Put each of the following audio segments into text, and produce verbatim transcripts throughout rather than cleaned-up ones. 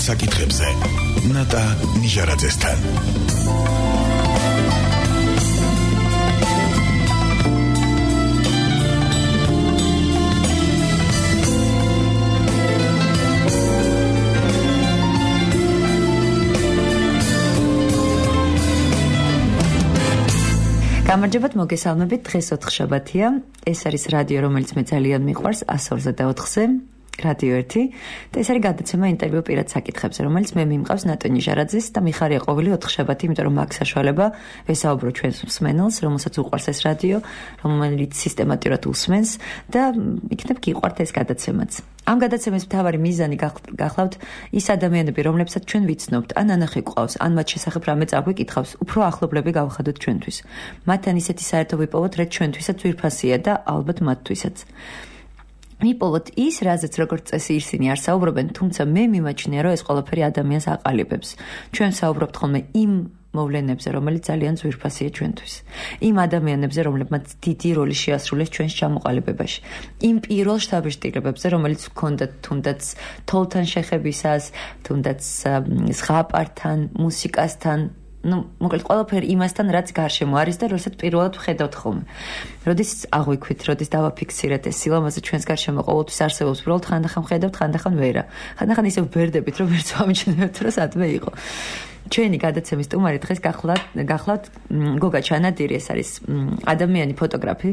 საკითხებზე ნატა ნიჟარაძესთან. გამარჯობათ, მოგესალმებით. დღეს ოთხშაბათია. ეს არის რადიო, რომელიც მე ძალიან მიყვარს, ას ორზე და ოთხზე. რადიო ერთი და ეს არის გადაცემა ინტერვიუ პირად საკითხებზე, რომელიც მე მიმყავს ნატო ნიჟარაძეს და მიხარია ყოველი ოთხშაბათი, იმიტომ რომ მაქვს საშუალება ვესაუბრო ჩვენს მსმენელს, რომელსაც უყვარს ეს რადიო, რომელიც სისტემატურად უსმენს და იქნებ გიყვართ ეს გადაცემაც. ამ გადაცემის მთავარი მიზანი გახლავთ ის ადამიანები, რომლებსაც ჩვენ ვიცნობთ, ან ანახი გვყავს, ან მათ შესახებ რამე წაგვიკითხავს, უფრო ახლობლები გავხადოთ ჩვენთვის. მათთან ისეთი საერთო ვიპოვოთ, რაც ჩვენთვისაც ძვირფასია და ალბათ მათთვისაც. მიპოვოთ ის, რაზეც როგორც წესი ისინი არ საუბრობენ, თუმცა მე მიმაჩნია, რომ ეს ყველაფერი ადამიანს აყალიბებს. ჩვენ საუბრობთ ხოლმე იმ მოვლენებზე, რომელიც ძალიან ძვირფასია ჩვენთვის. იმ ადამიანებზე, რომლებმაც დიდი როლი შეასრულეს ჩვენს ჩამოყალიბებაში. იმ პირველ შთაბეჭდილებებზე, რომელიც ჰქონდათ თუნდაც თოლთან შეხებისას, თუნდაც ზღაპართან, მუსიკასთან, ну, მოკლედ ყველაფერი იმასთან, რაც გარშემო არის და როდესაც პირველად ვხედავთ ხოლმე. როდის აღვიქვით, როდის დავაფიქსირეთ ეს სილამაზე ჩვენს გარშემო ყოველთვის არსებობს, უბრალოდ ხანდახან ვხედავთ, ხანდახან ვერა. ხანდახან ისევ ვერდებით, რომ ვერც ვამჩნევთ, რომ სადმე იყო. ჩვენი გადაცემის სტუმარი დღეს გახლავთ, გახლავთ გოგა ჩანადირი, ეს არის ადამიანი ფოტოგრაფი.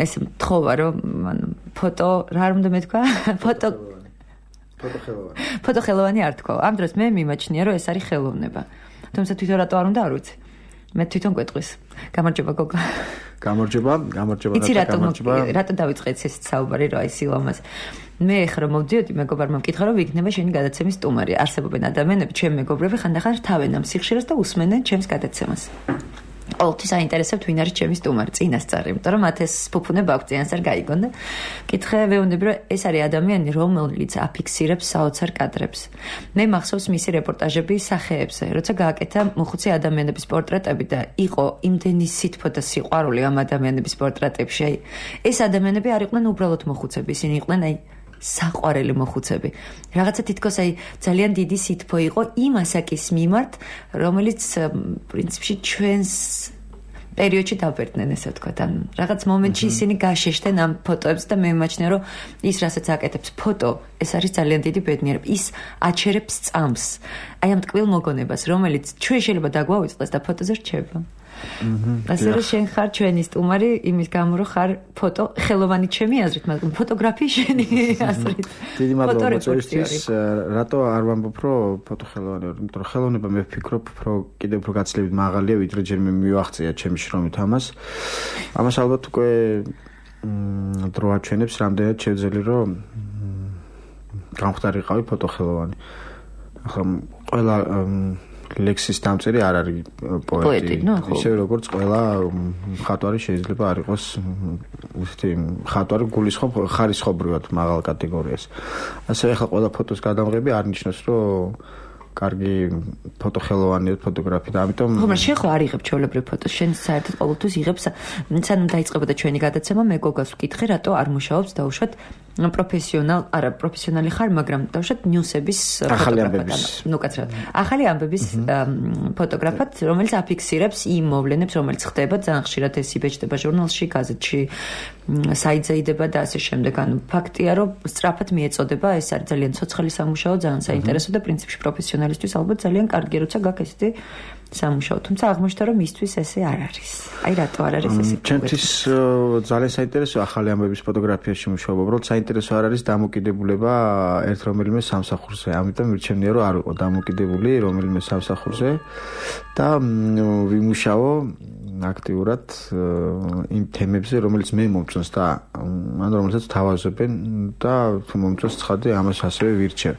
ეს მთხოვა, რომ ფოტო, რა არ უნდა მეთქვა? ფოტო ფოტოხელოვანი. ფოტოხელოვანი არ თქვა. ამ დროს მე მიმაჩნია, რომ ეს არის ხელოვნება. თუმცა თვითონ რატო არ უნდა არ ვიცი. მე თვითონ გვეტყვის. გამარჯობა გოგა. გამარჯობა, გამარჯობა და გამარჯობა. რატო დავიწყეთ ეს საუბარი რა ის სილამაზე? მე ხრო მოვდიოდი მეგობრებმა მკითხა რომ ვიქნება შენი გადაცემის სტუმარი. არსებობენ ადამიანები, ჩემი მეგობრები ხანდახან რთავენ ამ სიხშირეს და უსმენენ ჩემს გადაცემას. ყოველთვის აინტერესებთ ვინ არის ჩემი სტუმარი, წინასწარი, იმიტომ რომ მათ ეს ფუფუნება აქვს წინას არ გაიგონ და კითხე ვეუბნები რომ ეს არის ადამიანი, რომელიც აფიქსირებს საოცარ კადრებს. მე მახსოვს მისი რეპორტაჟები სახეებზე, როცა გააკეთა მოხუცი ადამიანების პორტრეტები და იყო იმდენი სითბო და სიყვარული ამ ადამიანების პორტრეტებში. აი, ეს ადამიანები არ იყვნენ უბრალოდ მოხუცები, ისინი იყვნენ აი საყვარელი მოხუცები. რაღაცა თითქოს აი ძალიან დიდი სითბო იყო იმ ასაკის მიმართ, რომელიც პრინციპში ჩვენს პერიოდში დავბერდნენ, ესე ვთქვათ. ან რაღაც მომენტში ისინი გაშეშდნენ ამ ფოტოებს და მე მიმაჩნია, რომ ის რასაც აკეთებს ფოტო, ეს არის ძალიან დიდი ბედნიერება. ის აჩერებს წამს. აი ამ ტკბილ მოგონებას, რომელიც ჩვენ შეიძლება დაგვავიწყდეს და ფოტოზე რჩება. ასე რომ შენ ხარ ჩვენი სტუმარი იმის გამო რომ ხარ ფოტო ხელოვანი ჩემი აზრით, მაგრამ ფოტოგრაფი შენი აზრით. დიდი მადლობა მოწვევისთვის. რატო არ ვამბობ რომ ფოტო ხელოვანი ვარ? იმიტომ რომ ხელოვნება მე ვფიქრობ, რომ კიდევ უფრო გაცილებით მაღალია, ვიდრე ჯერ მე მივახცია ჩემი შრომით ამას. ამას ალბათ უკვე დრო აჩვენებს, რამდენად შევძელი რომ გამختارიყავი ფოტო ხელოვანი. ახლა ყველა ლექსის დამწერი არ არის პოეტი. ისე როგორც ყველა მხატვარი შეიძლება არ იყოს ისეთი მხატვარი გულისხმობ ხარისხობრივად მაღალ კატეგორიას. ასე ახლა ყველა ფოტოს გადამღები არ ნიშნავს, რომ კარგი ფოტოხელოვანია ფოტოგრაფი და ამიტომ ხომ შენ ხო არ იღებ ჩვეულებრივ ფოტოს, შენ საერთოდ ყოველთვის იღებს, სანამ დაიწყებოდა ჩვენი გადაცემა, მე გოგას ვკითხე, რატო არ მუშაობს დაუშვათ პროფესიონალ, არა პროფესიონალი ხარ, მაგრამ დაუშვათ ნიუსების ფოტოგრაფად. ნუ კაცრად. ახალი ამბების ფოტოგრაფად, რომელიც აფიქსირებს იმ მოვლენებს, რომელიც ხდება ძალიან ხშირად ეს იბეჭდება ჟურნალში, გაზეთში, საიტზე და ასე შემდეგ. ანუ ფაქტია, რომ სწრაფად მიეწოდება, ეს არის ძალიან ცოცხალი სამუშაო, ძალიან საინტერესო და პრინციპში პროფესიონალისტვის ალბათ ძალიან კარგი, როცა გაქვს ესეთი სამუშაო. თუმცა აღმოჩნდა, რომ მისთვის ესე არ არის. აი რატო არ არის ესე? ჩემთვის ძალიან საინტერესო ახალი ამბების ფოტოგრაფიაში მუშაობა, უბრალოდ საინტერესო არ არის დამოკიდებულება ერთ რომელიმე სამსახურზე. ამიტომ მირჩენია, რომ არ ვიყო დამოკიდებული რომელიმე სამსახურზე და ვიმუშაო აქტიურად იმ თემებზე, რომელიც მე მომწონს და ან რომელსაც თავაზობენ და თუ მომწონს ცხადე ამას ასევე ვირჩევ.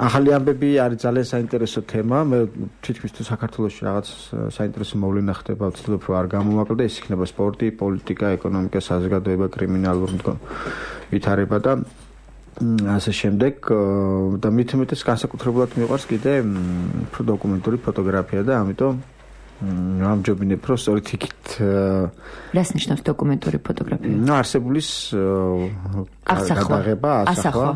ახალი ამბები არის ძალიან საინტერესო თემა. მე თითქმის თუ საქართველოში რაღაც საინტერესო მოვლენა ხდება, ვცდილობ რომ არ გამომაკლდა, ეს იქნება სპორტი, პოლიტიკა, ეკონომიკა, საზოგადოება, კრიმინალური ვითარება და ასე შემდეგ და მით უმეტეს განსაკუთრებულად მიყვარს კიდე უფრო დოკუმენტური ფოტოგრაფია და ამიტომ ამჯობინებ რომ სწორედ იქით რას ნიშნავს დოკუმენტური ფოტოგრაფია? ნუ არსებულის გადაღება, ასახვა.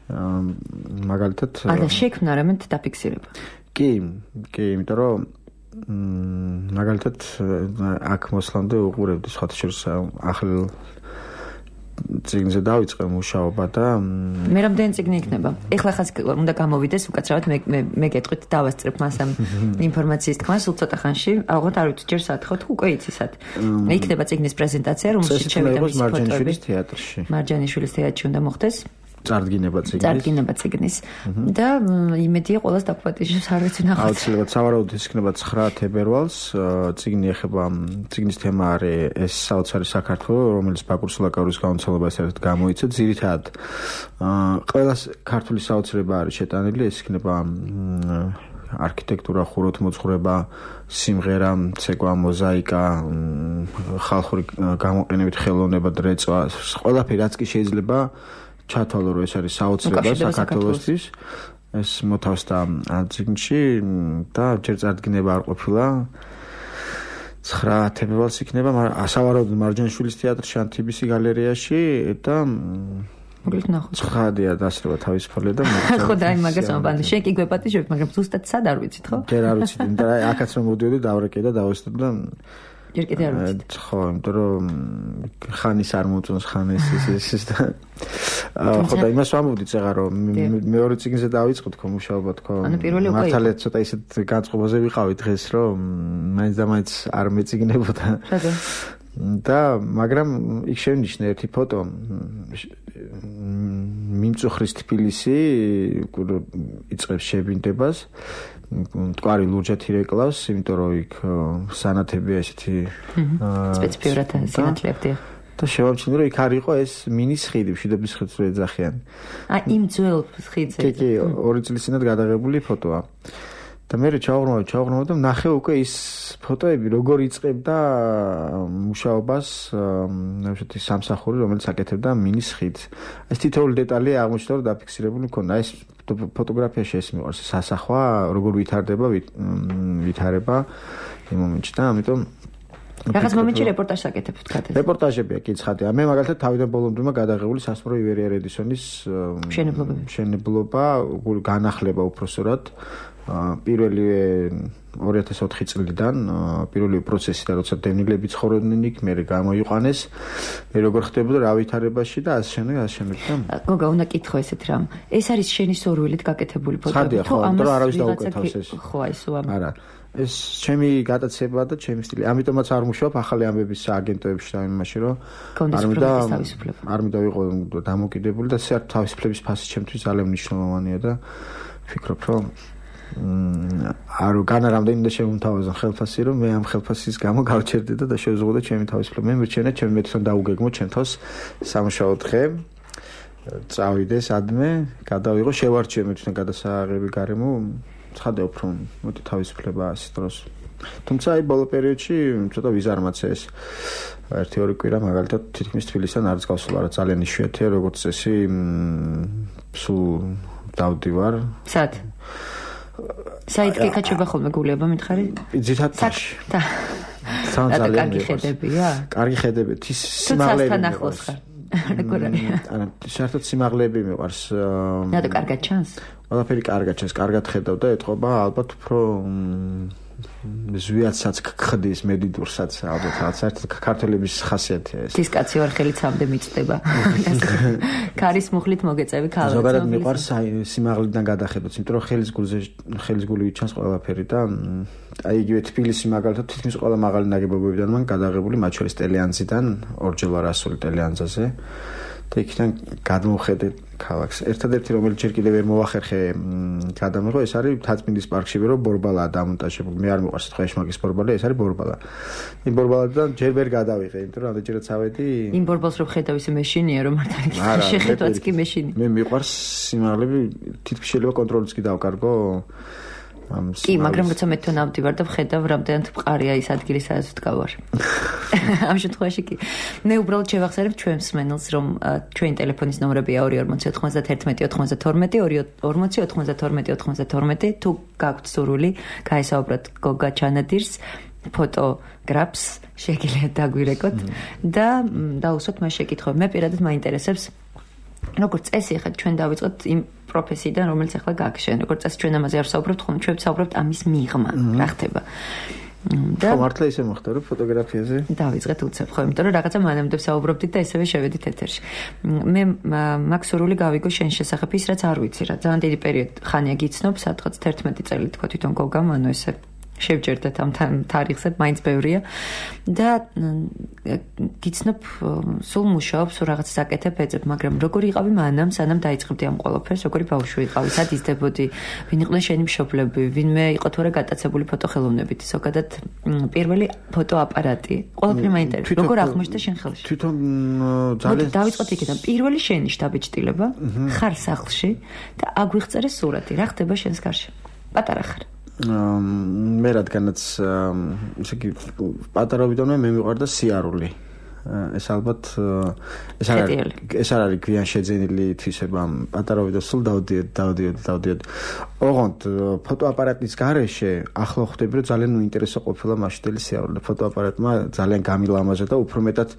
მაგალითად არა შექმნა რამე დაფიქსირება. კი, კი, იმიტომ რომ მაგალითად აქ მოსლამდე უყურებდი სხვათა შორის ახალ წიგნზე დავიწყე მუშაობა და მე რამდენი წიგნი იქნება? ეხლა ხაც უნდა გამოვიდეს უკაცრავად მე მე მე გეტყვით დავასწრებ მას ამ ინფორმაციის თქმა სულ ცოტა ხანში. ალბათ არ ვიცი ჯერ სათხოთ უკვე იცისად. იქნება წიგნის პრეზენტაცია რომელშიც შევიდა მისი მარჯანიშვილის თეატრში. მარჯანიშვილის თეატრში უნდა მოხდეს. წარდგინება წიგნის. წარდგინება წიგნის. და იმედია ყოველს დაგუპატიჟებს არ ვიცი ნახოთ. აუცილებლად სავარაუდოდ ის იქნება ცხრა თებერვალს. წიგნი ეხება წიგნის თემა არის ეს საოცარი საქართველო, რომელიც ბაკურ სულაკაურის გამოცემას ერთად გამოიცა. ძირითადად ყველა ქართული საოცრება არის შეტანილი, ეს იქნება არქიტექტურა, ხუროთმოძღვრება, სიმღერა, ცეკვა, მოზაიკა, ხალხური გამოყენებით ხელოვნება, დრეწვა, ყველაფერი რაც კი შეიძლება ჩათვალო რომ ეს არის საოცრება საქართველოსთვის ეს მოთავსდა წიგნში და ჯერ წარდგინება არ ყოფილა ცხრა თებერვალს იქნება სავარაუდოდ მარჯანიშვილის თეატრში ან თბილისის გალერეაში და მოგეთ ნახოთ ცხადია დასრება თავისუფალია და ხო და აი მაგას ამბობ შენ კი გვეპატიჟებ მაგრამ ზუსტად სად არ ვიცით ხო ჯერ არ ვიცით იმიტომ რომ აქაც რომ მოდიოდი დავრეკე და დავესწრებ და ჯერ კიდე არ ვიცით ხო იმიტომ რომ ხანის არ მოწონს ხანის ის ის და ხო და იმას ვამბობდი წეღა რომ მეორე წიგნზე დავიწყოთ ხო მუშაობა თქო მართალია ცოტა ისეთ განწყობაზე ვიყავი დღეს რომ მაინც და მაინც არ მეწიგნებოდა და მაგრამ იქ შევნიშნე ერთი ფოტო მიმწუხრის თბილისი იწყებს შებინდებას მტკვარი ლურჯათი რეკლავს იმიტომ რომ იქ სანათებია ესეთი სპეციფიურად სანათლებია და შევამჩნიე რომ იქ არ იყო ეს მინის ხიდი მშვიდობის ხიდს რო ეძახიან აი იმ ძველ ხიდზე კი კი ორი წლის წინათ გადაღებული ფოტოა და მე ჩავღრმავ ჩავღრმავ და ნახე უკვე ის ფოტოები როგორ იწყებდა მუშაობას ნახეთ ის სამსახური რომელიც აკეთებდა მინის ხიდს ეს თითოეული დეტალი აღმოჩნდა რომ დაფიქსირებული მქონდა ეს ფოტოგრაფიაში ეს მიყვარს სასახვა როგორ ვითარდება ვითარება იმ მომენტში და ამიტომ რაღაც მომენტში რეპორტაჟს აკეთებთ კატეს რეპორტაჟებია კი ცხადია მე მაგალითად თავიდან ბოლომდე გადაღებული სასმრო ივერია რედისონის მშენებლობები მშენებლობა განახლება უпроსორად პირველი ორი ათას ოთხი წლიდან პირველი პროცესი და როცა დევნილები ცხოვრობდნენ იქ მე გამოიყვანეს მე როგორ ხდებოდა რა ვითარებაში და ასე შემდეგ ასე შემდეგ და გოგა უნდა კითხო ესეთ რამ ეს არის შენი სურვილით გაკეთებული ფოტოები თუ ამას არავის დაუკეთავს ეს ხო აი სულ ამ არა ეს ჩემი გატაცება და ჩემი სტილი ამიტომაც არ მუშაობ ახალი ამბების აგენტოებში და იმაში რომ არ მინდა არ მინდა ვიყო დამოკიდებული და საერთოდ თავისუფლების ფასი ჩემთვის ძალიან მნიშვნელოვანია და ვფიქრობ რომ არ განა რამდენი და შემომთავაზა ხელფასი რომ მე ამ ხელფასის გამო გავჩერდე და შევზღუდე ჩემი თავისუფლება მე მირჩენე ჩემი მეტთან დაუგეგმო ჩემ თავს სამუშაო დღე წავიდე სადმე გადავიღო შევარჩიე მეტთან გადასაღები გარემო ცხადე უფრო მოდი თავისუფლება ასე დროს თუმცა აი ბოლო პერიოდში ცოტა ვიზარმაცე ეს ერთი ორი კვირა მაგალითად თითქმის თბილისიდან არც გავსულა რა ძალიან იშვიათია როგორც წესი სულ დავდივარ სად საით კეკაჩება ხოლმე გულება მითხარი? ძირითადში. და ძალიან კარგი ხედებია? კარგი ხედები, ის სიმაღლეები მიყვარს. როგორ არის? ანუ საერთოდ სიმაღლეები მიყვარს. რატო კარგად ჩანს? ყველაფერი კარგად ჩანს, კარგად ხედავ და ეთყობა ალბათ უფრო ზვიათსაც ხდის მედიდურსაც ალბათ რაღაც საერთოდ ქართველების ხასიათია ეს. ის კაცი ვარ ხელით სამდე მიწდება. ქარის მუხლით მოგეწევი ქალებს. ზოგადად მიყვარს სიმაღლიდან გადახედოთ, იმიტომ რომ ხელის გულზე ხელის გული ჩანს ყველაფერი და აი იგივე თბილისი მაგალითად თითქმის ყველა მაღალი ნაგებობებიდან მან გადაღებული მათ შორის ტელეანძიდან ორჯერ ვარ ასული ტელეანძაზე და იქიდან გადმოვხედე ქალაქს. ერთადერთი რომელიც ჯერ კიდევ ვერ მოახერხე გადამიღო ეს არის თაცმინდის პარკში ვერო ბორბალაა დამონტაჟებული. მე არ მიყვარს თქვა ეშმაკის ბორბალი, ეს არის ბორბალა. იმ ბორბალადან ჯერ ვერ გადავიღე, იმიტომ რომ ამდენჯერაც ავედი. იმ ბორბალს რო ხედავ ისე მეშინია რომ მართალი შეხედვაც კი მეშინი. მე მიყვარს სიმაღლები, თითქმის შეიძლება კონტროლიც კი დავკარგო. კი, მაგრამ როცა მე თან ავდივარ და ვხედავ რამდენად მყარია ის ადგილი სადაც ვდგავარ. ამ შემთხვევაში კი. მე უბრალოდ შევახსენებ ჩვენ მსმენელს რომ ჩვენი ტელეფონის ნომრებია ორი ორმოცი ოთხმოცდათერთმეტი ოცდათორმეტი ორი ორმოცი ოთხმოცდათორმეტი ოცდათორმეტი თუ გაქვთ სურვილი გაესაუბროთ გოგა ჩანადირს ფოტოგრაფს შეგიძლიათ დაგვირეკოთ და დაუსვათ მას შეკითხვები. მე პირადად მაინტერესებს როგორც წესი, ხა ჩვენ დავიწყოთ იმ პროფესიიდან, რომელიც ახლა გაგშენ. როგორც წესი, ჩვენ ამაზე არ ვსაუბრობთ, ხოლმე ჩვენ ვსაუბრობთ ამის მიღმა, რა ხდება. და მართლა ისე მოხდა, რომ ფოტოგრაფიაზე დავიწყეთ უცებ, ხო, იმიტომ რომ რაღაცა მანამდე ვსაუბრობდით და ესევე შევედით ეთერში. მე მაქვს სურვილი გავიგო შენ შესახებ ის, რაც არ ვიცი რა. ძალიან დიდი პერიოდი ხანია გიცნობ, სადღაც თერთმეტი წელი თქვა თვითონ გოგამ, ანუ ესე შევჯერდეთ ამ თარიღზე, მაინც ბევრია და გიცნობ სულ მუშაობ, სულ რაღაც საკეთებ ეძებ, მაგრამ როგორი იყავი მანამ, სანამ დაიწყებდი ამ ყველაფერს, როგორი ბავშვი იყავი, სად იზრდებოდი, ვინ იყვნენ შენი მშობლები, ვინმე იყო თუ არა გატაცებული ფოტოხელოვნებით, ზოგადად პირველი ფოტოაპარატი, ყველაფერი მაინტერესებს, როგორ აღმოჩნდა შენ ხელში? თვითონ ძალიან დავიწყოთ იქიდან, პირველი შენი შტაბეჭდილება, ხარ სახლში და აგვიღწერე სურათი, რა ხდება შენს გარშემო? პატარა ხარ. მე რადგანაც ესე იგი პატარობიდანვე მე მიყვარდა სიარული. ეს ალბათ ეს არ ეს არ არის გვიან შეძენილი თვისება პატარობიდან სულ დავდიოდი დავდიოდი დავდიოდი. ოღონდ ფოტოაპარატის გარეშე ახლა ხვდები რომ ძალიან უინტერესო ყოფილა მასშტაბელი სიარული. ფოტოაპარატმა ძალიან გამილამაზა და უფრო მეტად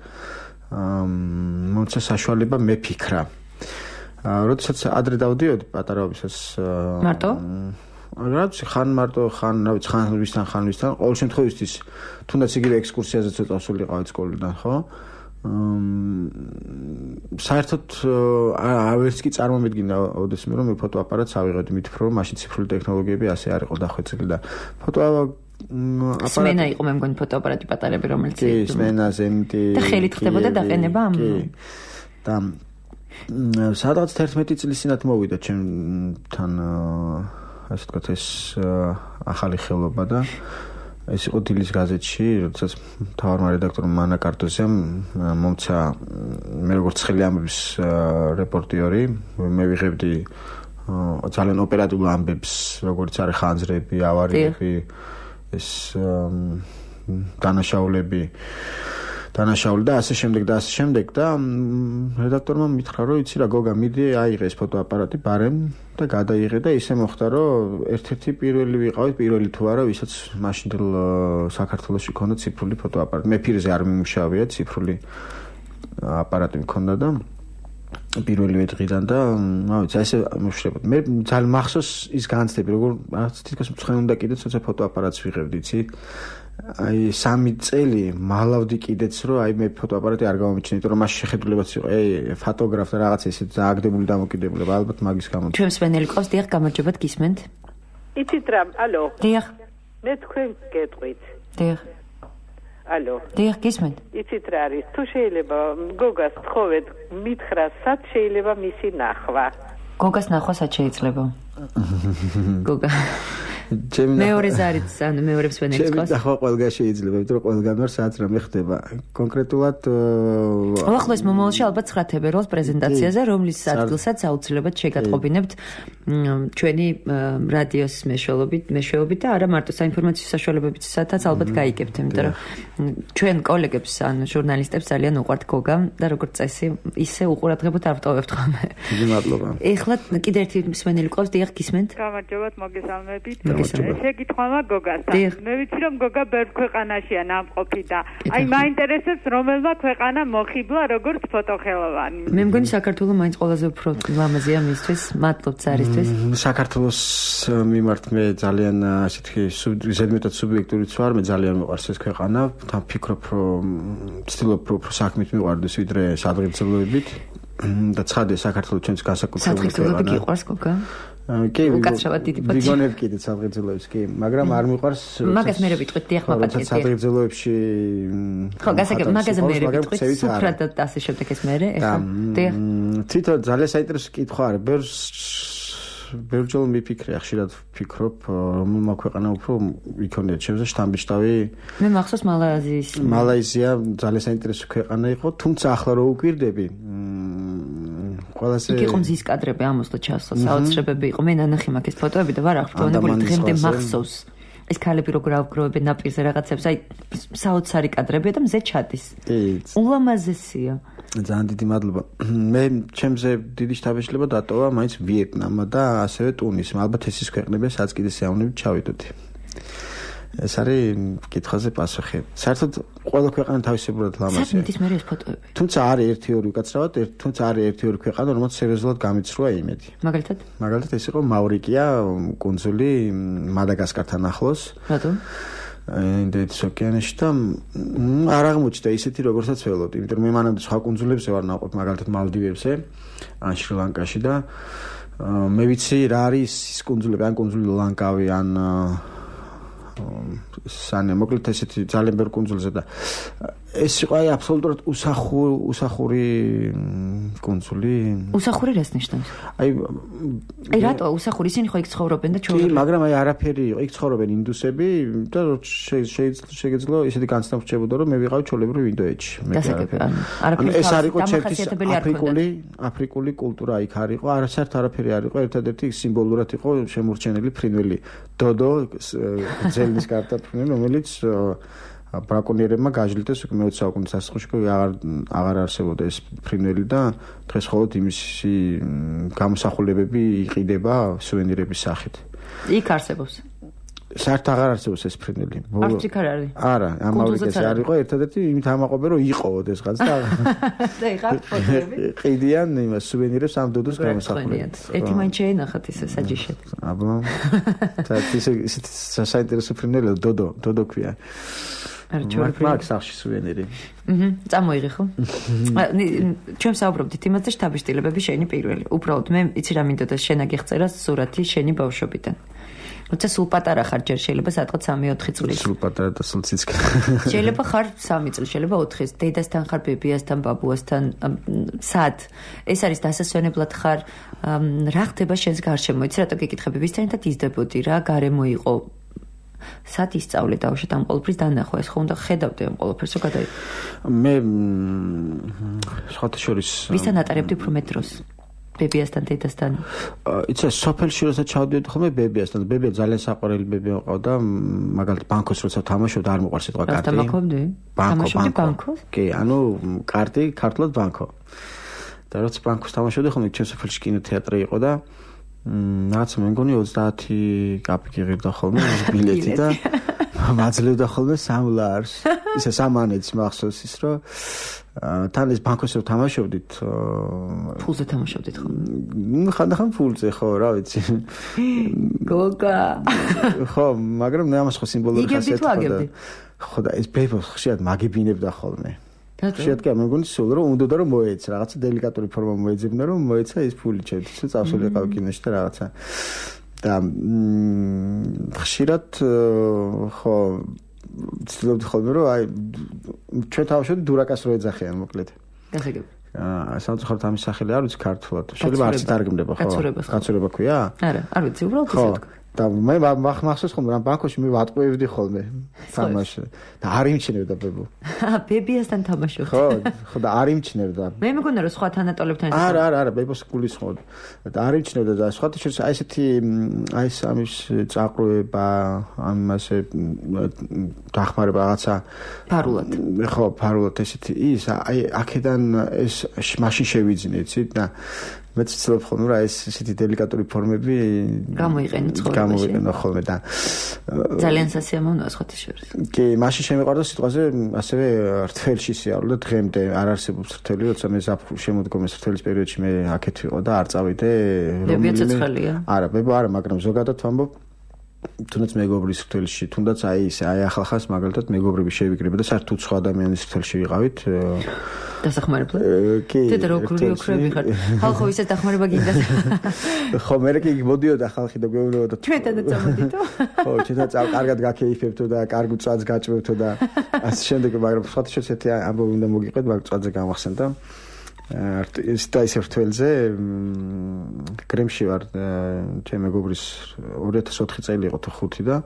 მომცა საშუალება მეფიქრა. როდესაც ადრე დავდიოდი პატარობისას მარტო რაც ხან მარტო ხან რა ვიცი ხან ვისთან ხან ვისთან ყოველ შემთხვევაში თუნდაც იგივე ექსკურსიაზე ცოტა სულიყავით სკოლიდან ხო საერთოდ ავერც კი წარმომედგინა ოდესმე რომ მე ფოტოაპარატს ავიღებდი მით უფრო რომ მაშინ ციფრული ტექნოლოგიები ასე არ იყო დახვეწილი და ფოტო სმენა იყო მე მგონი ფოტოაპარატი პატარები რომელიც კი სმენა ზენიტი და ხელით ხდებოდა დაყენება ამ და სადღაც თერთმეტი წლის წინათ მოვიდა ჩემთან ასე ვთქვათ ეს ახალი ხელობა და ეს იყო დილის გაზეთში, როდესაც მთავარმა რედაქტორმა მანა კარტოზიამ მომცა მე როგორც ხელი ამბების რეპორტიორი, მე ვიღებდი ძალიან ოპერატიულ ამბებს, როგორც არის ხანძრები, ავარიები, ეს დანაშაულები დანაშაული და ასე შემდეგ და ასე შემდეგ და რედაქტორმა მითხრა რომ იცი რა გოგა მიდი აიღე ეს ფოტოაპარატი ბარემ და გადაიღე და ისე მოხდა რომ ერთ-ერთი პირველი ვიყავით პირველი თუ არა ვისაც მაშინდელ საქართველოში ქონდა ციფრული ფოტოაპარატი მე ფირზე არ მიმუშავია ციფრული აპარატი მქონდა და პირველივე დღიდან და რა ვიცი ესე მოვშრებოდი მე ძალიან მახსოვს ის განცდები როგორ რაღაც თითქოს მცხენ უნდა კიდეც თორსა ფოტოაპარატს ვიღებდი იცი აი სამი წელი მალავდი კიდეც რომ აი მე ფოტოაპარატი არ გამომიჩნია, იმიტომ რომ მას შეხედულებაც იყო, აი ფოტოგრაფ და რაღაცა ისე დააგდებული დამოკიდებულება, ალბათ მაგის გამო. ჩვენს ვენელი ყავს, დიახ, გამარჯობათ გისმენთ? იცით რა, ალო. დიახ. მე თქვენ გეტყვით. დიახ. ალო. დიახ, გისმენთ? იცით რა არის, თუ შეიძლება გოგას თხოვეთ, მითხრა, სად შეიძლება მისი ნახვა? გოგას ნახვა სად შეიძლება? გოგა მეორე ზარიც ანუ მეორებს ვენელის ყავს. ჩემი ნახვა ყველგან შეიძლება, იმიტომ რომ ყველგან ვარ სადაც რამე ხდება. კონკრეტულად ახლა ეს მომავალში ალბათ ცხრათებე როლს პრეზენტაციაზე, რომლის ადგილსაც აუცილებლად შეგატყობინებთ ჩვენი რადიოს მეშვეობით, მეშვეობით და არა მარტო საინფორმაციო საშუალებებიცაცაც ალბათ გაიგებთ, იმიტომ რომ ჩვენ კოლეგებს ან ჟურნალისტებს ძალიან უყვართ გოგა და როგორც წესი ისე უყურადღებოთ არ ვტოვებთ ხოლმე. დიდი მადლობა. ეხლა კიდე ერთი მსმენელი ყავს, დიახ, გისმენთ? გამარჯობათ, მოგესალმებით. შეგითხოვა გოგასთან. მე ვიცი რომ გოგა ბევრ ქვეყანაშია ნამყოფი და აი მაინტერესებს რომელმა ქვეყანა მოხიბლა როგორც ფოტოხელოვანი. მე მგონი საქართველოს მაინც ყველაზე უფრო ლამაზია მისთვის, მადლობთ ზარისთვის. საქართველოს მიმართ მე ძალიან ასე თქვი ზედმეტად სუბიექტურიც ვარ, მე ძალიან მიყვარს ეს ქვეყანა, თან ფიქრობ რომ ვცდილობ უფრო საქმით მიყვარდეს ვიდრე სადღეგრძელოებით და ცხადია საქართველოს ჩვენს განსაკუთრებული ქვეყანა. სადღეგრძელოები გიყვარს გოგა? კი, უკაცრავად დიდი პოტი. ვიგონებ კიდე სადღეგრძელოებს, კი, მაგრამ არ მიყვარს მაგას მე ვიტყვით, დიახ, მაპატიეთ. სადღეგრძელოებში ხო, გასაგებ, მაგაზე მე ვიტყვით, სუფრად და ასე შემდეგ ეს მე, ეხლა. დიახ. თვითონ ძალიან საინტერესო კითხვა არის. ბევრს ბევრჯერ მიფიქრე, ხშირად ვფიქრობ, რომელმა ქვეყანა უფრო იქონია ჩემზე შთამბეჭდავი. მე მახსოვს მალაიზიის. მალაიზია ძალიან საინტერესო ქვეყანა იყო, თუმცა ახლა რო უკვირდები, ყველაზე იქ იყო მზის კადრები ამოსლა ჩასლა, საოცრებები იყო. მე ნანახი მაქვს ეს ფოტოები და ვარ აღფრთოვანებული დღემდე მახსოვს. ეს ქალები როგორ ავგროვებენ ნაპირზე რაღაცებს, აი საოცარი კადრებია და მზე ჩადის. ულამაზესია. ძალიან დიდი მადლობა. მე ჩემზე დიდი შთაბეჭდილება დატოვა მაინც ვიეტნამა და ასევე ტუნისი. ალბათ ეს ის ქვეყნებია, სადაც კიდე სიამოვნებით ჩავიდოდი. ეს არის კითხვაზე პასუხი. საერთოდ ყველა ქვეყანა თავისებურად ლამაზია. საფრთხის მერე ეს ფოტოები. თუმცა არის ერთი ორი უკაცრავად, თუმცა არის ერთი ორი ქვეყანა, რომელიც სერიოზულად გამიცრუა იმედი. მაგალითად? მაგალითად ეს იყო მავრიკია, კუნძული მადაგასკართან ახლოს. რატომ? ინდოეთის ოკეანეში და არ აღმოჩნდა ისეთი როგორცაც ველოდი, იმიტომ რომ მე მანამდე სხვა კუნძულებზე ვარ ნაყოფ, მაგალითად მალდივებზე, ან შრი-ლანკაში და მე ვიცი რა არის ის კუნძულები, ან კუნძული ლანკავი, ან სანე მოკლედ ესეთი ძალიან ბევრ კუნძულზე და ეს იყო აი აბსოლუტურად უსახური უსახური კუნძული. უსახური რას ნიშნავს? აი აი რატო უსახური? ისინი ხო იქ ცხოვრობენ და ჩვეულებრივ. კი, მაგრამ აი არაფერი იყო. იქ ცხოვრობენ ინდუსები და შეიძლება ისეთი განცდა რჩებოდა რომ მე ვიყავი ჩვეულებრივ ინდოეთში. არაფერი ეს არ იყო ჩემთვის აფრიკული აფრიკული კულტურა იქ არ იყო. არასერთ არაფერი არ იყო. ერთადერთი სიმბოლურად იყო შემორჩენილი ფრინველი დოდო ზელნის კარტა ფრინველი რომელიც ბრაკონიერებმა გააჯლიტეს უკვე მეოცე საუკუნის დასაწყისში აღარ აღარ არსებობდა ეს ფრინველი და დღეს მხოლოდ იმისი გამოსახულებები იყიდება სუვენირების სახით. იქ არსებობს. საერთოდ აღარ არსებობს ეს ფრინველი. არც იქ არ არის. არა, ამავდროულად არ იყო ერთადერთი იმით ამაყობენ რომ იყო ოდესღაც და და იღარ ფოტოები. ყიდიან იმას სუვენირებს ამ დოდოს გამოსახულებით. ერთი მაინც შეენახათ ისე საჯიშად. აბა. და ის ის საინტერესო ფრინველი დოდო, დოდო ქვია. მარკ სახში სუვენირი. აჰა, წამოიღე ხო? ჩვენ საუბრობდით იმაზე შთაბეჭდილებები შენი პირველი. უბრალოდ მე იცი რა მინდოდა შენ აგიხწერა სურათი შენი ბავშვობიდან. როცა სულ პატარა ხარ ჯერ შეიძლება სადღაც სამი ოთხი წლის. სულ პატარა და სულ ციცკი. შეიძლება ხარ სამი წლის, შეიძლება ოთხი. დედასთან ხარ, ბებიასთან, ბაბუასთან, სად? ეს არის დასასვენებლად ხარ. რა ხდება შენს გარშემო? იცი რატო გეკითხები? ვისთანაც იზრდებოდი, რა გარემო იყო? სად ისწავლე დავშეთ ამ ყოველფრის დანახვა ეს ხო უნდა ხედავდე ამ ყოველფერს რო გადაი მე სხვათა შორის ვისთან ატარებდი უფრო მეტ დროს ბებიასთან დედასთან იცი სოფელში როცა ჩავდიოდი ხოლმე ბებიასთან ბებია ძალიან საყვარელი ბებია ყავდა მაგალითად ბანკოს როცა თამაშობდა არ მოყვარს სიტყვა კარტი თამაშობდი თამაშობდი ბანკოს კი ანუ კარტი ქართულად ბანკო და როცა ბანკოს თამაშობდი ხოლმე ჩემ სოფელში კინოთეატრი იყო და რაც მე მგონი ოცდაათი კაპიკი ღირდა ხოლმე ბილეთი და მაძლევდა ხოლმე სამ ლარს ისე სამანეთს მახსოვს ის რომ თან ეს ბანკოსზე თამაშობდით ფულზე თამაშობდით ხო? ნუ ხანდახან ფულზე ხო რა ვიცი გოგა ხო მაგრამ მე ამას ხო სიმბოლური ხასიათი ხოდა ხო და ეს ბებოს ხშირად მაგებინებდა ხოლმე შეიძლება მე მგონი სულ რომ უნდა რომ მოეცა რაღაცა დელიკატური ფორმა მოეძებნა რომ მოეცა ეს ფული ჩემთვის წავსულიყავ კინოში და რაღაცა და ხშირად ხო ცდილობდი ხოლმე რომ აი ჩვენ თავშოთ დურაკას რო ეძახიან მოკლედ გასაგები აა სამწუხაროდ ამის სახელი არ ვიცი ქართულად შეიძლება არც დარგმდება ხო კაცურება ქვია არა არ ვიცი უბრალოდ ისე ვთქვა და მე მახსოვს ხოლმე რა ბანკოში მე ვატყუებდი ხოლმე თამაში და არ იმჩნევდა ბებო აა ბებიასთან თამაშობდი ხო ხო და არ იმჩნევდა მე მეგონა რომ სხვა თანატოლებთან არა არა არა ბებოს გულისხმობ და არ იმჩნევდა და სხვათა შორის აი ესეთი აი ეს ამის წაყრუება ამასე დახმარება რაღაცა ფარულად ხო ფარულად ესეთი ის აი აქედან ეს მაშინ შევიძინე იცით და მეც ვცდილობ ხოლმე რა ეს ესეთი დელიკატური ფორმები გამოიყენო ცხოვრებაში გამოიყენო ხოლმე და ძალიან სასიამოვნოა სხვათა შორის კი მაშინ შემეყვარდა სიტყვაზე ასევე რთველში სიარული და დღემდე არ არსებობს რთველი როცა მე შემოდგომეს რთველის პერიოდში მე აქეთ ვიყო და არ წავიდე რომელი არა ბებო არა მაგრამ ზოგადად ვამბობ თუნდაც მეგობრის რთველში თუნდაც აი ეს აი ახალხას მაგალითად მეგობრები შევიკრიბე და საერთოდ სხვა ადამიანის რთველში ვიყავით დასახმარებლად კი დედა როგორი ოქრები ხარ ხალხო ისე დახმარება გინდა ხო მე კი მოდიოდა ხალხი და გვეუბნებოდა ჩვენთანაც წამოდითო ხო ჩვენთანაც კარგად გაქეიფებთო და კარგ წვადს გაჭმევთო და ასე შემდეგ მაგრამ სხვა შორის ერთი ამბობი უნდა მოგიყვეთ მაგ წვადზე გამახსენდა ის და ის რთველზე კრემში ვარ ჩემ მეგობრის ორი ათას ოთხი წელი იყო თუ ხუთი და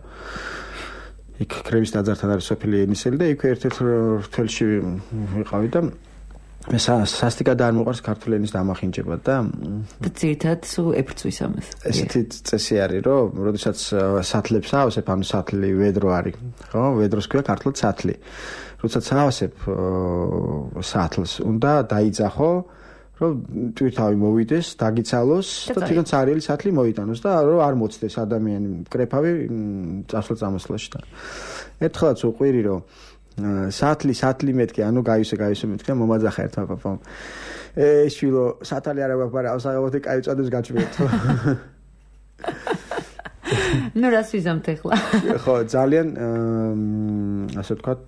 იქ კრემის ტაძართან არის სოფელი ენისელი და იქ ერთ-ერთ რთველში ვიყავი და მე სასტიკად არ მოყარს ქართული ენის დამახინჯება და და ძირითადად სულ ეფრწვის ამას ესეთი წესი არის რომ როდესაც სათლებს ავსებ ანუ სათლი ვედრო არის ხო ვედროს ქვია ქართულად სათლი როდესაც ავსებ სათლს უნდა დაიძახო რომ ტვირთავი მოვიდეს, დაგიცალოს და თვითონ ცარიელი სათლი მოიტანოს და რომ არ მოწდეს ადამიანი მკრეფავი წასვლა-წამოსვლაში და ერთხელაც უყვირი რომ სათლი სათლი მეთქე, ანუ გაივსე გაივსე მეთქე მომაძახა ერთმა პაპამ. ე შვილო, სათალი არა გვაქვს, მაგრამ ავსაღებოთი კაი წადეს გაჩვენეთო. ნუ რას ვიზამთ ახლა? ხო, ძალიან ასე ვთქვათ,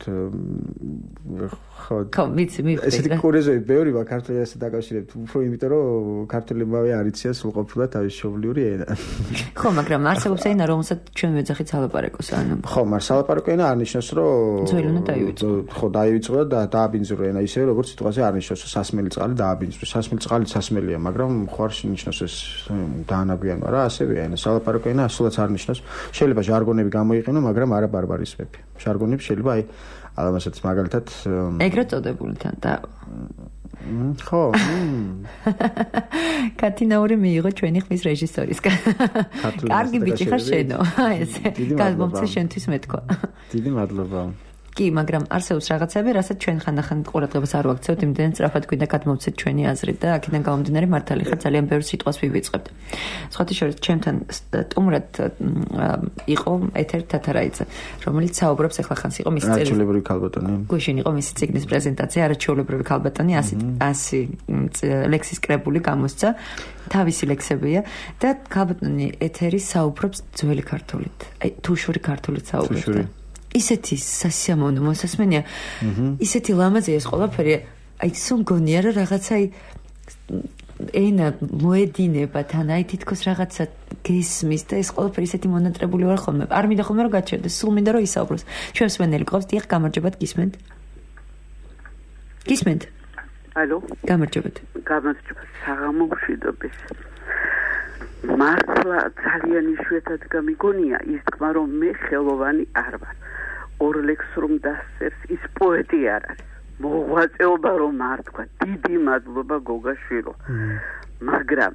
ხო, ხო, ვიცი, მივხვდი. ესეთი კურიოზები ბევრი ვარ ქართულად ასე დაკავშირებით, უფრო იმიტომ რომ ქართულებმავე არ იციან სრულყოფილად თავის მშობლიური ენა. ხო, მაგრამ არსებობს ენა, რომელსაც ჩვენ ვეძახით სალაპარაკოს, ანუ. ხო, მაგრამ სალაპარაკო ენა არ ნიშნავს, რომ ძველი უნდა დაივიწყო. ხო, დაივიწყო და დააბინძურო ენა, ისე როგორც სიტყვაზე არ ნიშნავს, რომ სასმელი წყალი დააბინძურო. სასმელი წყალი სასმელია, მაგრამ ხო არ ნიშნავს ეს დაანაგვიანო რა, ასევეა ენა. სალაპარაკო ენა ასულაც არ ნიშნავს. შეიძლება ჟარგონები გამოიყენო, მაგრამ არა ბარბარისმები. ჟარგონები შეიძლება აი ალამასაც მაგალითად ეგრეთ წოდებული თან და ხო. კათინაური მიიღო ჩვენი ხმის რეჟისორისგან. კარგი ბიჭი ხარ შენო. ესე გამომცე შენთვის მეთქვა. დიდი მადლობა. კი, მაგრამ არსებობს რაღაცები, რასაც ჩვენ ხანდახან ყურადღებას არ ვაქცევთ, იმდენად სწრაფად გვინდა გადმოვცეთ ჩვენი აზრით და აქედან გამომდინარე მართალი ხარ, ძალიან ბევრ სიტყვას ვივიწყებთ. სხვათა შორის ჩემთან სტუმრად იყო ეთერ თათარაიძე, რომელიც საუბრობს ახლა ხანს იყო მისი წელი. არაჩვეულებრივი ქალბატონი. გუშინ იყო მისი ციგნის პრეზენტაცია, არაჩვეულებრივი ქალბატონი, ასი ლექსის კრებული გამოსცა, თავისი ლექსებია და ქალბატონი ეთერი საუბრობს ძველი ქართულით. აი თუშური ქართულით საუბრობს. ისეთი სასიამოვნო მოსასმენია, ისეთი ლამაზია ეს ყველაფერი, აი სულ გონია რომ რაღაცა ენა მოედინება თან, აი თითქოს რაღაცა გესმის და ეს ყველაფერი ისეთი მონატრებული ვარ ხოლმე. არ მინდა ხოლმე რომ გაჩერდეს, სულ მინდა რომ ისაუბროს. ჩვენ მსმენელი ყავს, დიახ, გამარჯობათ, გისმენთ? გისმენთ? ალო? გამარჯობათ. გამარჯობათ, საღამო მშვიდობის. მართლა ძალიან იშვიათად გამიგონია ის თქმა, რომ მე ხელოვანი არ ვარ. ორ ლექს რომ დასწერს, ის პოეტი არ არის. მოღვაწეობა რომ არ თქვა, დიდი მადლობა გოგაშვილო. მაგრამ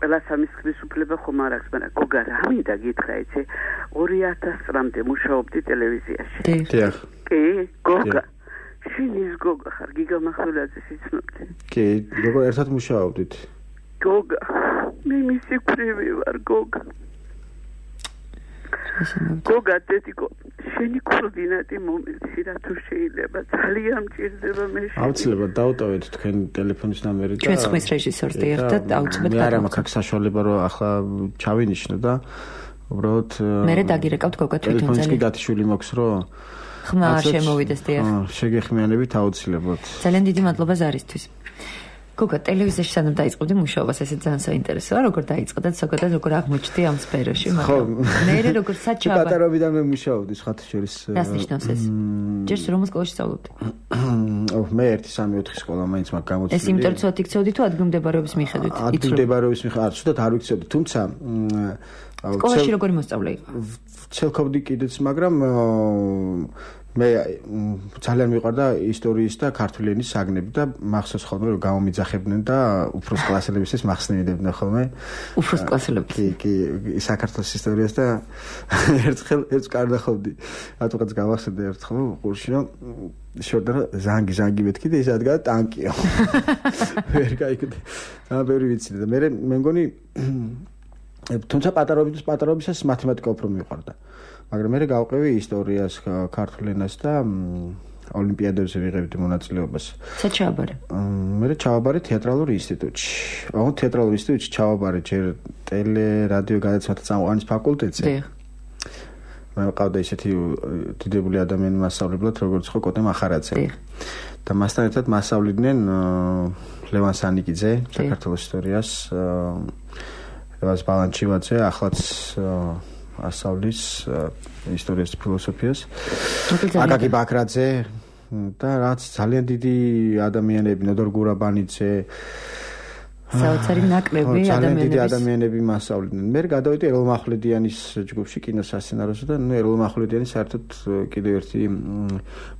ყველა სამის ხმის უფლება ხომ არ აქვს, მაგრამ გოგა რა მინდა გითხრა, იცი? ორი ათას წლამდე მუშაობდი ტელევიზიაში. დიახ. კი, გოგა. შენ ის გოგა ხარ, გიგა მახვილაძეს იცნობდი? კი, გოგა ერთად მუშაობდით. გოგა, მე მისი ქვრივი ვარ, გოგა. გოგა, დედიკო, შენი კოორდინატი მომეცი რა თუ შეიძლება, ძალიან მჭირდება მე. აუცილებლად დავუტოვეთ თქვენ ტელეფონის ნომერი და ჩვენ ხმის რეჟისორს დიახ და აუცილებლად მე არ მაქვს აქ საშუალება რომ ახლა ჩავინიშნო და უბრალოდ მე დაგირეკავთ გოგა თვითონ ტელეფონის კი გათიშული მოქვს რომ ხმა არ შემოვიდეს დიახ. შეგეხმიანებით აუცილებლად. ძალიან დიდი მადლობა ზარისთვის. გოგა, ტელევიზიაში სანამ დაიწყებდი მუშაობას, ესე ძალიან საინტერესოა, როგორ დაიწყე და ზოგადად როგორ აღმოჩნდი ამ სფეროში, მაგრამ მე როგორ საჩაბა. პატარობიდან მე მუშაობდი, სხვათა შორის. რას ნიშნავს ეს? ჯერ რომელ სკოლაში სწავლობდი? ოღ მე ერთი სამი ოთხი სკოლა მაინც მაგ გამოცდილი. ეს იმიტომ რომ იქცეოდი თუ ადგილმდებარეობის მიხედვით? ადგილმდებარეობის მიხედვით, არ ცუდად არ ვიქცეოდი, თუმცა სკოლაში როგორი მოსწავლე იყო? ცელქობდი კიდეც, მაგრამ მე ძალიან მიყვარდა ისტორიის და ქართული ენის საგნები და მახსოვს ხოლმე რომ გამომიძახებდნენ და უფროს კლასელებისთვის მახსნებდნენ ხოლმე. უფროს კლასელებს? კი, კი, საქართველოს ისტორიას და ერთხელ ერთს კარდახობდი. რატოღაც გავახსენე ერთხელ ყურში რომ შორდა ზანგი ზანგი მეთქი და ის ადგა ტანკია. ვერ გაიგდი. და ბევრი ვიცი და მე მე მგონი თუმცა პატარობისას პატარობისას მათემატიკა უფრო მიყვარდა. მაგრამ მე გავყევი ისტორიას, ქართულ ენას და ოლიმპიადებზე ვიღებდი მონაწილეობას. საერთოდ ჩავაბარე. მე ჩავაბარე თეატრალურ ინსტიტუტში. აუ თეატრალურ ინსტიტუტში ჩავაბარე ჯერ ტელე, რადიო გადაცემათა წამყვანის ფაკულტეტზე. დიახ. მე მყავდა ისეთი დიდებული ადამიანი მასწავლებლად, როგორც ხო კოტე მახარაძე. დიახ. და მასთან ერთად მასწავლიდნენ ლევან სანიკიძე, საქართველოს ისტორიას, ლევან ბალანჩივაძე, ახლაც ასავლის ისტორიას ფილოსოფიას. აკაკი ბაქრაძე და რაც ძალიან დიდი ადამიანები, ნოდორ გურაბანიძე. საოცარი ნაკლები ადამიანები. ძალიან დიდი ადამიანები მასწავლიდნენ. მე გადავედი ეროლ მახვლედიანის ჯგუფში კინოსასცენაროზე და ნუ ეროლ მახვლედიანი საერთოდ კიდევ ერთი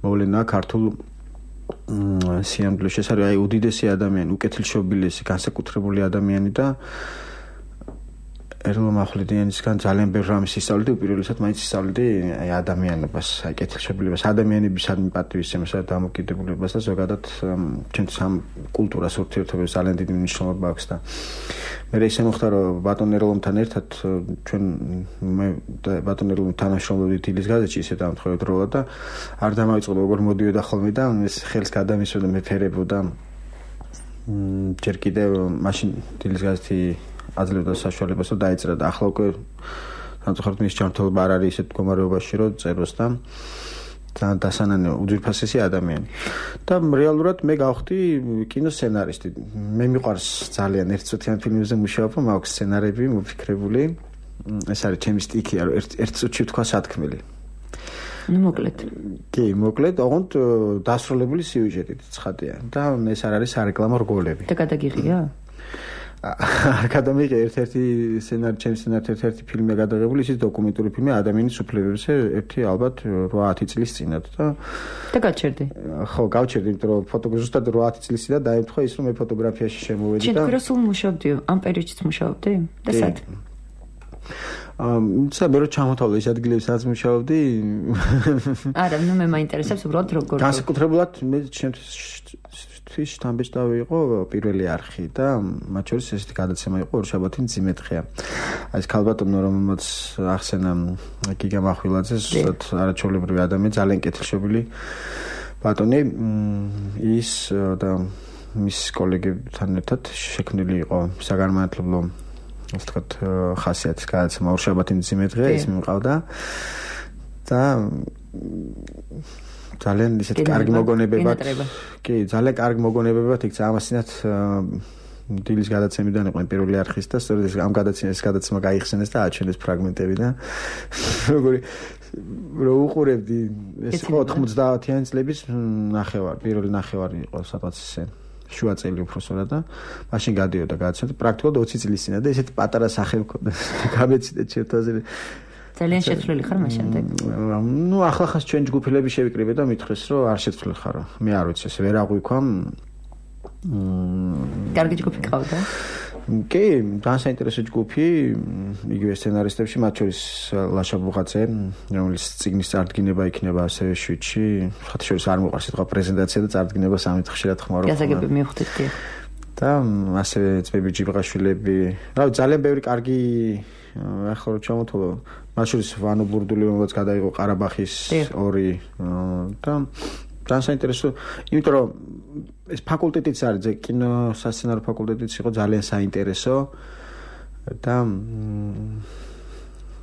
მოვლენაა ქართულ სიამბლეში. ეს არის აი უდიდესი ადამიანი, უკეთილშობილესი, განსაკუთრებული ადამიანი და ერლო მახვლედიანისგან ძალიან ბევრ რამეს ისწავლდი, უპირველესად მაინც ისწავლდი აი ადამიანობას, აი კეთილშობილებას, ადამიანებისადმი პატივისცემას და დამოკიდებულებას და ზოგადად ჩვენთვის ამ კულტურას ურთიერთობებს ძალიან დიდი მნიშვნელობა აქვს და მე ისე მოხდა რომ ბატონ ერლომთან ერთად ჩვენ მე ბატონ ერლომთან თანამშრომლობდით დილის გაზეთში ისე დამთხოვეთ როლა და არ დამავიწყდა როგორ მოდიოდა ხოლმე და ეს ხელს გადამისვენდა მეფერებოდა ჯერ კიდევ მაშინ დილის გაზეთი აძლევდა საშუალებას რომ დაეწერა და ახლა უკვე სამწუხაროდ მის ჯანმრთელობა არ არის ისეთ მდგომარეობაში რომ წეროს და ძალიან დასანანე უძვირფასესი ადამიანი და რეალურად მე გავხდი კინოსცენარისტი მე მიყვარს ძალიან ერთწუთიან ფილმებზე მუშაობა მაქვს სცენარები მოფიქრებული ეს არის ჩემი სტიქი რომ ერთ წუთში თქვა სათქმელი ну მოკლედ კი მოკლედ ოღონდ დასრულებული სიუჟეტით ცხადია და ეს არ არის სარეკლამო რგოლები და გადაგიღია აკადემიკა ერთ-ერთი სცენარი ჩემს სცენარით ერთ-ერთი ფილმია გადაღებული ისიც დოკუმენტური ფილმი ადამიანის უფლებებზე ერთი ალბათ რვაათი წლის წინათ და და გაჩერდი ხო გავჩერდი იმიტომ რომ ფოტოგრაფი ზუსტად რვაათი წლის წინ დაემთხვა ის რომ მე ფოტოგრაფიაში შემოვედი და შენ გროსულ მუშაობდი ამ პერიოდშიც მუშაობდი და სად ამ ცა მე რო ჩამოთავდა ის ადგილებში სადაც მუშაობდი არა ნუ მე მაინტერესებს უბრალოდ როგორ განსაკუთრებულად მე ჩემთვის შთამბეჭდავი იყო პირველი არხი და მათ შორის ესეთი გადაცემა იყო ორშაბათი მძიმედღეა აი ეს ქალბატონო რომელმაც ახსენა გიგა მახვილაძე ზუსტად არაჩვეულებრივი ადამიანი ძალიან კეთილშობილი ბატონი ის და მის კოლეგებთან ერთად შექმნილი იყო საგანმანათლებლო ასე ვთქვათ ხასიათის გადაცემა ორშაბათი მძიმედღეა ის მიმყავდა და ძალიან ისეთი კარგი მოგონებებად კი ძალიან კარგი მოგონებებად იქცა ამასინათ დილის გადაცემიდან იყო პირველი არხის და სწორედ ამ გადაცემის გადაცემა გაიხსენეს და აჩვენეს ფრაგმენტები და როგორი რო უყურებდი ეს იყო ოთხმოცდაათიანი წლების ნახევარი პირველი ნახევარი იყო სადღაც ესე შუა წელი უფრო სწორად და მაშინ გადიოდა გადაცემა პრაქტიკულად ოცი წლის წინა და ესეთი პატარა სახე მქონდა გამეცდა ჩერტაზე ძალიან შეცვლილი ხარ მაშინდე. ნუ ახლახას ჩვენ ჯგუფელები შევიკრიბე და მითხეს რომ არ შეცვლილი ხარო. მე არ ვიცი ეს ვერ აღვიქვა. კარგი ჯგუფი ყავდა? კი, ძალიან საინტერესო ჯგუფი, იგივე სცენარისტებში, მათ შორის ლაშა ბუხაძე, რომელიც წიგნის წარდგინება იქნება ასევე შვიდში. ხათ შორის არ მოყარს სიტყვა პრეზენტაცია და წარდგინება სამი ხშირად ხმარო. გასაგები მივხვდით კი. და ასევე წვები ჯიბღაშვილები. რა ძალიან ბევრი კარგი ახლა რო ჩამოთვალო მათ შორის ვანო ბურდული რომელიც გადაიღო ყარაბახის ორი და ძალიან საინტერესო იმიტომ რომ ეს ფაკულტეტიც არის კინო სასცენარო ფაკულტეტიც იყო ძალიან საინტერესო და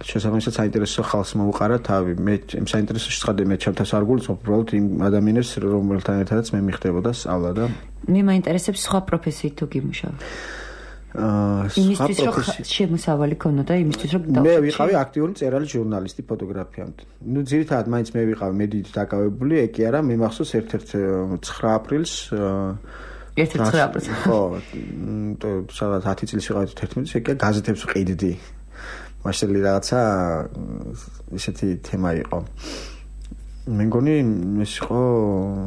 შესაბამისად საინტერესო ხალხს მოუყარა თავი მე იმ საინტერესოში ცხადე მე ჩემთას არ გულისხმობ უბრალოდ იმ ადამიანებს რომელთან ერთადაც მე მიხდებოდა სწავლა და მე მაინტერესებს სხვა პროფესიით თუ გიმუშავე აა იმისთვის რომ შემოსავალი ქონოდა იმისთვის რომ მე ვიყავი აქტიური მწერალი ჟურნალისტი ფოტოგრაფიამდე. ნუ ძირითადად მაინც მე ვიყავი მედიით დაკავებული, ეგ არა, მე მახსოვს ერთ-ერთ ცხრა აპრილს ერთ-ერთ ცხრა აპრილს ხო, სადაც ათი წლის ვიყავი თერთმეტი, ეგ გაზეთებს ვყიდდი. მაშინ რაღაცა ისეთი თემა იყო. მე მგონი ეს იყო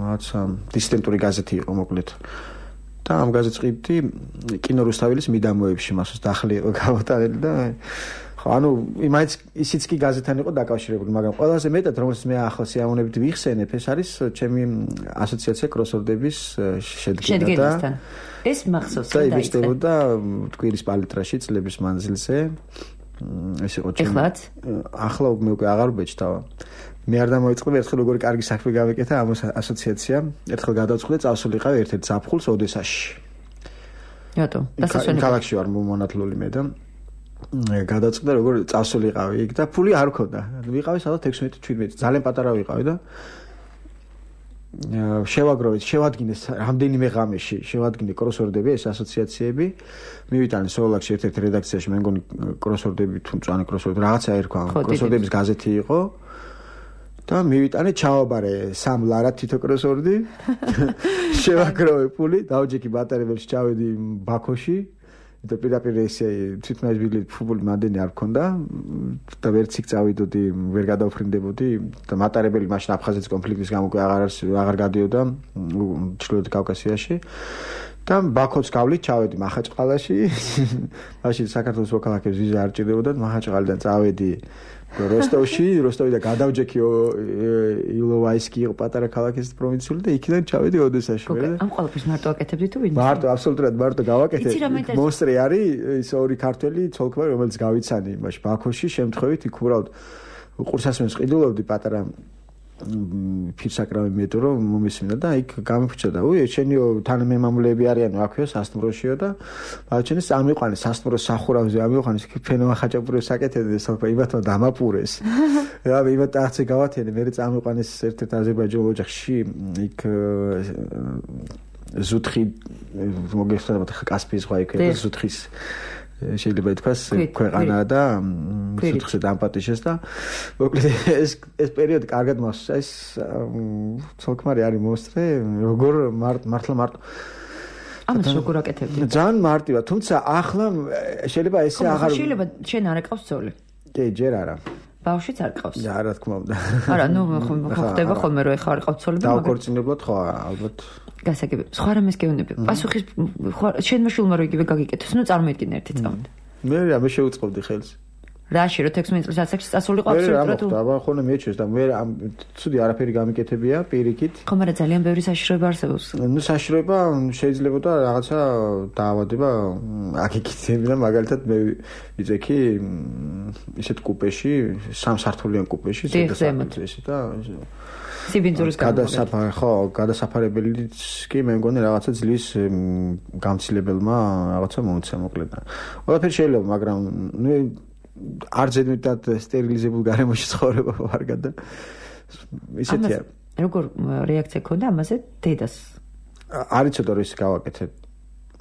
რაღაცა დისიდენტური გაზეთი იყო მოკლედ. და ამ გაზეთს ყიდდი კინო რუსთაველის მიდამოებში მასოს დახლი იყო გამოტანილი და ხო ანუ იმაიც ისიც კი გაზეთთან იყო დაკავშირებული მაგრამ ყველაზე მეტად რომელიც მე ახლა სიამოვნებით ვიხსენებ ეს არის ჩემი ასოციაცია კროსორდების შედგენა და ეს მახსოვს და იმისდებოდა ტკვირის პალიტრაში წლების მანძილზე ეს იყო ჩემი ახლა მე უკვე აღარ ვბეჭდავა მე არ დამოიწყდა ერთხელ როგორი კარგი საქმე გავეკეთა ამ ასოციაციამ ერთხელ გადავწყვიტე წავსულიყავი ერთ-ერთ ზაფხულს ოდესაში რატო დასასვენებლად ქალაქში ვარ მომანათლული მე და გადავწყვიტე როგორ წავსულიყავი იქ და ფული არ მქონდა ვიყავი სადღაც ექვსმეტი შვიდმეტი ძალიან პატარა ვიყავი და შევაგროვეთ შევადგინეს რამდენიმე ღამეში შევადგინე კროსორდები ეს ასოციაციები მივიტანე სოლაკში ერთ-ერთ რედაქციაში მე მგონი კროსორდები თუ მწვანე კროსორდები რაღაცა ერქვა კროსორდების გაზეთი იყო და მივიტანე ჩავაბარე სამ ლარად თითო კროსორდი შევაგროვე ფული დავჯექი ბატარებელში ჩავედი ბაქოში და პირდაპირ ესე თვითონ ეს ბილეთი ფული მანდენი არ მქონდა და ვერც იქ წავიდოდი ვერ გადავფრინდებოდი და მატარებელი მაშინ აფხაზეთის კონფლიქტის გამო აღარ აღარ გადიოდა ჩრდილოეთ კავკასიაში და ბაქოც გავლით ჩავედი მახაჭყალაში. მაშინ საქართველოს მოქალაქეებს ვიზა არ ჭირდებოდა, მახაჭყალიდან წავედი როსტოვში, როსტოვიდან გადავჯექი ილოვაისკი იყო პატარა ქალაქის პროვინციული და იქიდან ჩავედი ოდესაში. ამ ყველაფერს მარტო აკეთებდი თუ ვინ? მარტო, აბსოლუტურად მარტო გავაკეთე. მონსტრი არის ის ორი ქართველი ცოლ-ქმარი, რომელიც გავიცანი იმაში ბაქოში, შემთხვევით იქ უბრალოდ ყურსასმენს ყიდულობდი პატარა ფირსაკრავი მეტრო რომ მომისმინა და იქ გამიფრჩა და უი შენიო თანამემამულეები არიანო აქვეო სასტუმროშიო და ბავშვენს ამიყვანეს სასტუმროს სახურავზე ამიყვანეს იქ ფენოა ხაჭაპურებს აკეთებდნენ სოფა იმათმა დამაპურეს და იმათ ახცე გავათენე მე წამიყვანეს ერთ-ერთ აზერბაიჯანულ ოჯახში იქ ზუთხი მოგესწრებათ კასპიის ზღვა იქ ზუთხის შეიძლება ითქვას ქვეყანა და ზუთხზე დამპატიშეს და მოკლედ ეს ეს პერიოდი კარგად მოსწა ეს ცოლ-ქმარი არის მოსწრე როგორ მართლა მარტო ამას როგორ აკეთებდი ძალიან მარტივად თუმცა ახლა შეიძლება ესე აღარ შეიძლება შენ არ აკავს ძოლი კი ჯერ არა ბავშვიც არ ყავს და რა თქმა უნდა არა ნუ ხდება ხოლმე რომ ეხა არ ყავს ძოლები და უკორწინებლად ხო ალბათ გასაგები სხვა რამეს გეუბნები პასუხის შენმა შულმა რო იგივე გაგიკეთოს ნუ წარმოიდგინე ერთი წამით მე რა მე შევუწყობდი ხელს რაში რო თექვსმეტ წლის ასაკში წასულიყო აბსოლუტურად და აბა ხოლმე მეჩვენს და მე ცუდი არაფერი გამიკეთებია პირიქით ხო მაგრამ ძალიან ბევრი საშიშროება არსებობს ნუ საშიშროება შეიძლება და რაღაცა დაავადება აკეთებდი და მაგალითად მე ვიძექი ისეთ კუპეში სამსართულიან კუპეში სადაც და სიბინძურის გადასაფარ ხო გადასაფარებელიც კი მე მგონი რაღაცა ძლის გამცილებელმა რაღაცა მოუწია მოკლედ. ყველაფერი შეიძლება, მაგრამ ნუ არ ზედმეტად სტერილიზებულ გარემოში ცხოვრება ვარგა და ისეთია. როგორ რეაქცია ქონდა ამაზე დედას? არ იცოდა რომ ის გავაკეთე.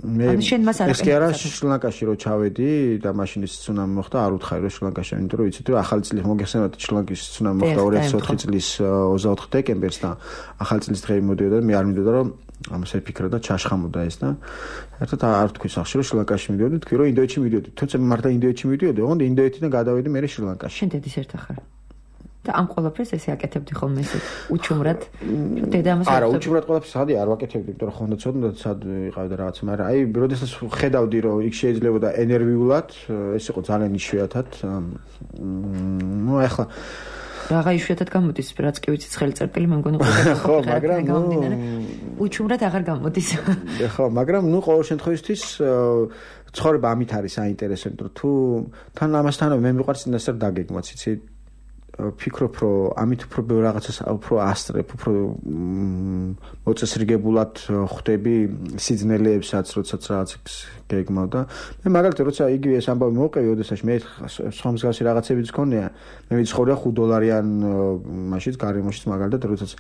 მე ეს კი არა შრი-ლანკაში რო ჩავედი და მაშინ ის ცუნამი მოხდა არ უთხარი რომ შრი-ლანკაში იმიტომ რომ იცით რომ ახალი წელი მოგეხსენებათ შრი-ლანკის ცუნამი მოხდა ორი ათას ოთხი წლის ოცდაოთხი დეკემბერს და ახალი წლის დღე მოდიოდა და მე არ მინდოდა რომ ამას ეფიქრა და ჩაშხამოდა ეს და ერთად არ თქვი სახში რომ შრი-ლანკაში მიდიოდი თქვი რომ ინდოეთში მიდიოდი თუმცა მე მარტო ინდოეთში მიდიოდი ოღონდ ინდოეთიდან გადავედი მე შრი-ლანკაში შენ დედის ერთ ახარ და ამ ყველაფერს ესე აკეთებდი ხოლმე ესე უჩუმრად დედა ამას არა უჩუმრად ყველაფერს სადი არ ვაკეთებდი იმიტომ რომ ხონდა ცოდნა და სად ვიყავდა რაღაც მაგრამ აი როდესაც ხედავდი რომ იქ შეიძლებოდა ენერგიულად ეს იყო ძალიან იშვიათად ნუ ახლა რაღა იშვიათად გამოდის რაც კი ვიცი ცხელი წერტილი მე მგონი ხო მაგრამ უჩუმრად აღარ გამოდის ხო მაგრამ ნუ ყოველ შემთხვევისთვის ცხოვრება ამით არის საინტერესო იმიტომ რომ თუ თან ამასთანავე მე მიყვარს წინასწარ დაგეგმოთ იცი ფიქრობ რომ ამით უფრო ბევრ რაღაცას უფრო ასტრებ უფრო მოწესრიგებულად ხვდები სიძნელეებსაც როდესაც რაღაცას გეგმავ და მე მაგალითად როცა იგივე ეს ამბავი მოვყევი ოდესაში მე სხვა მსგავსი რაღაცებიც გქონია მე ვიცხოვრია ხუთ დოლარიან მაშინ გარემოშიც მაგალითად როდესაც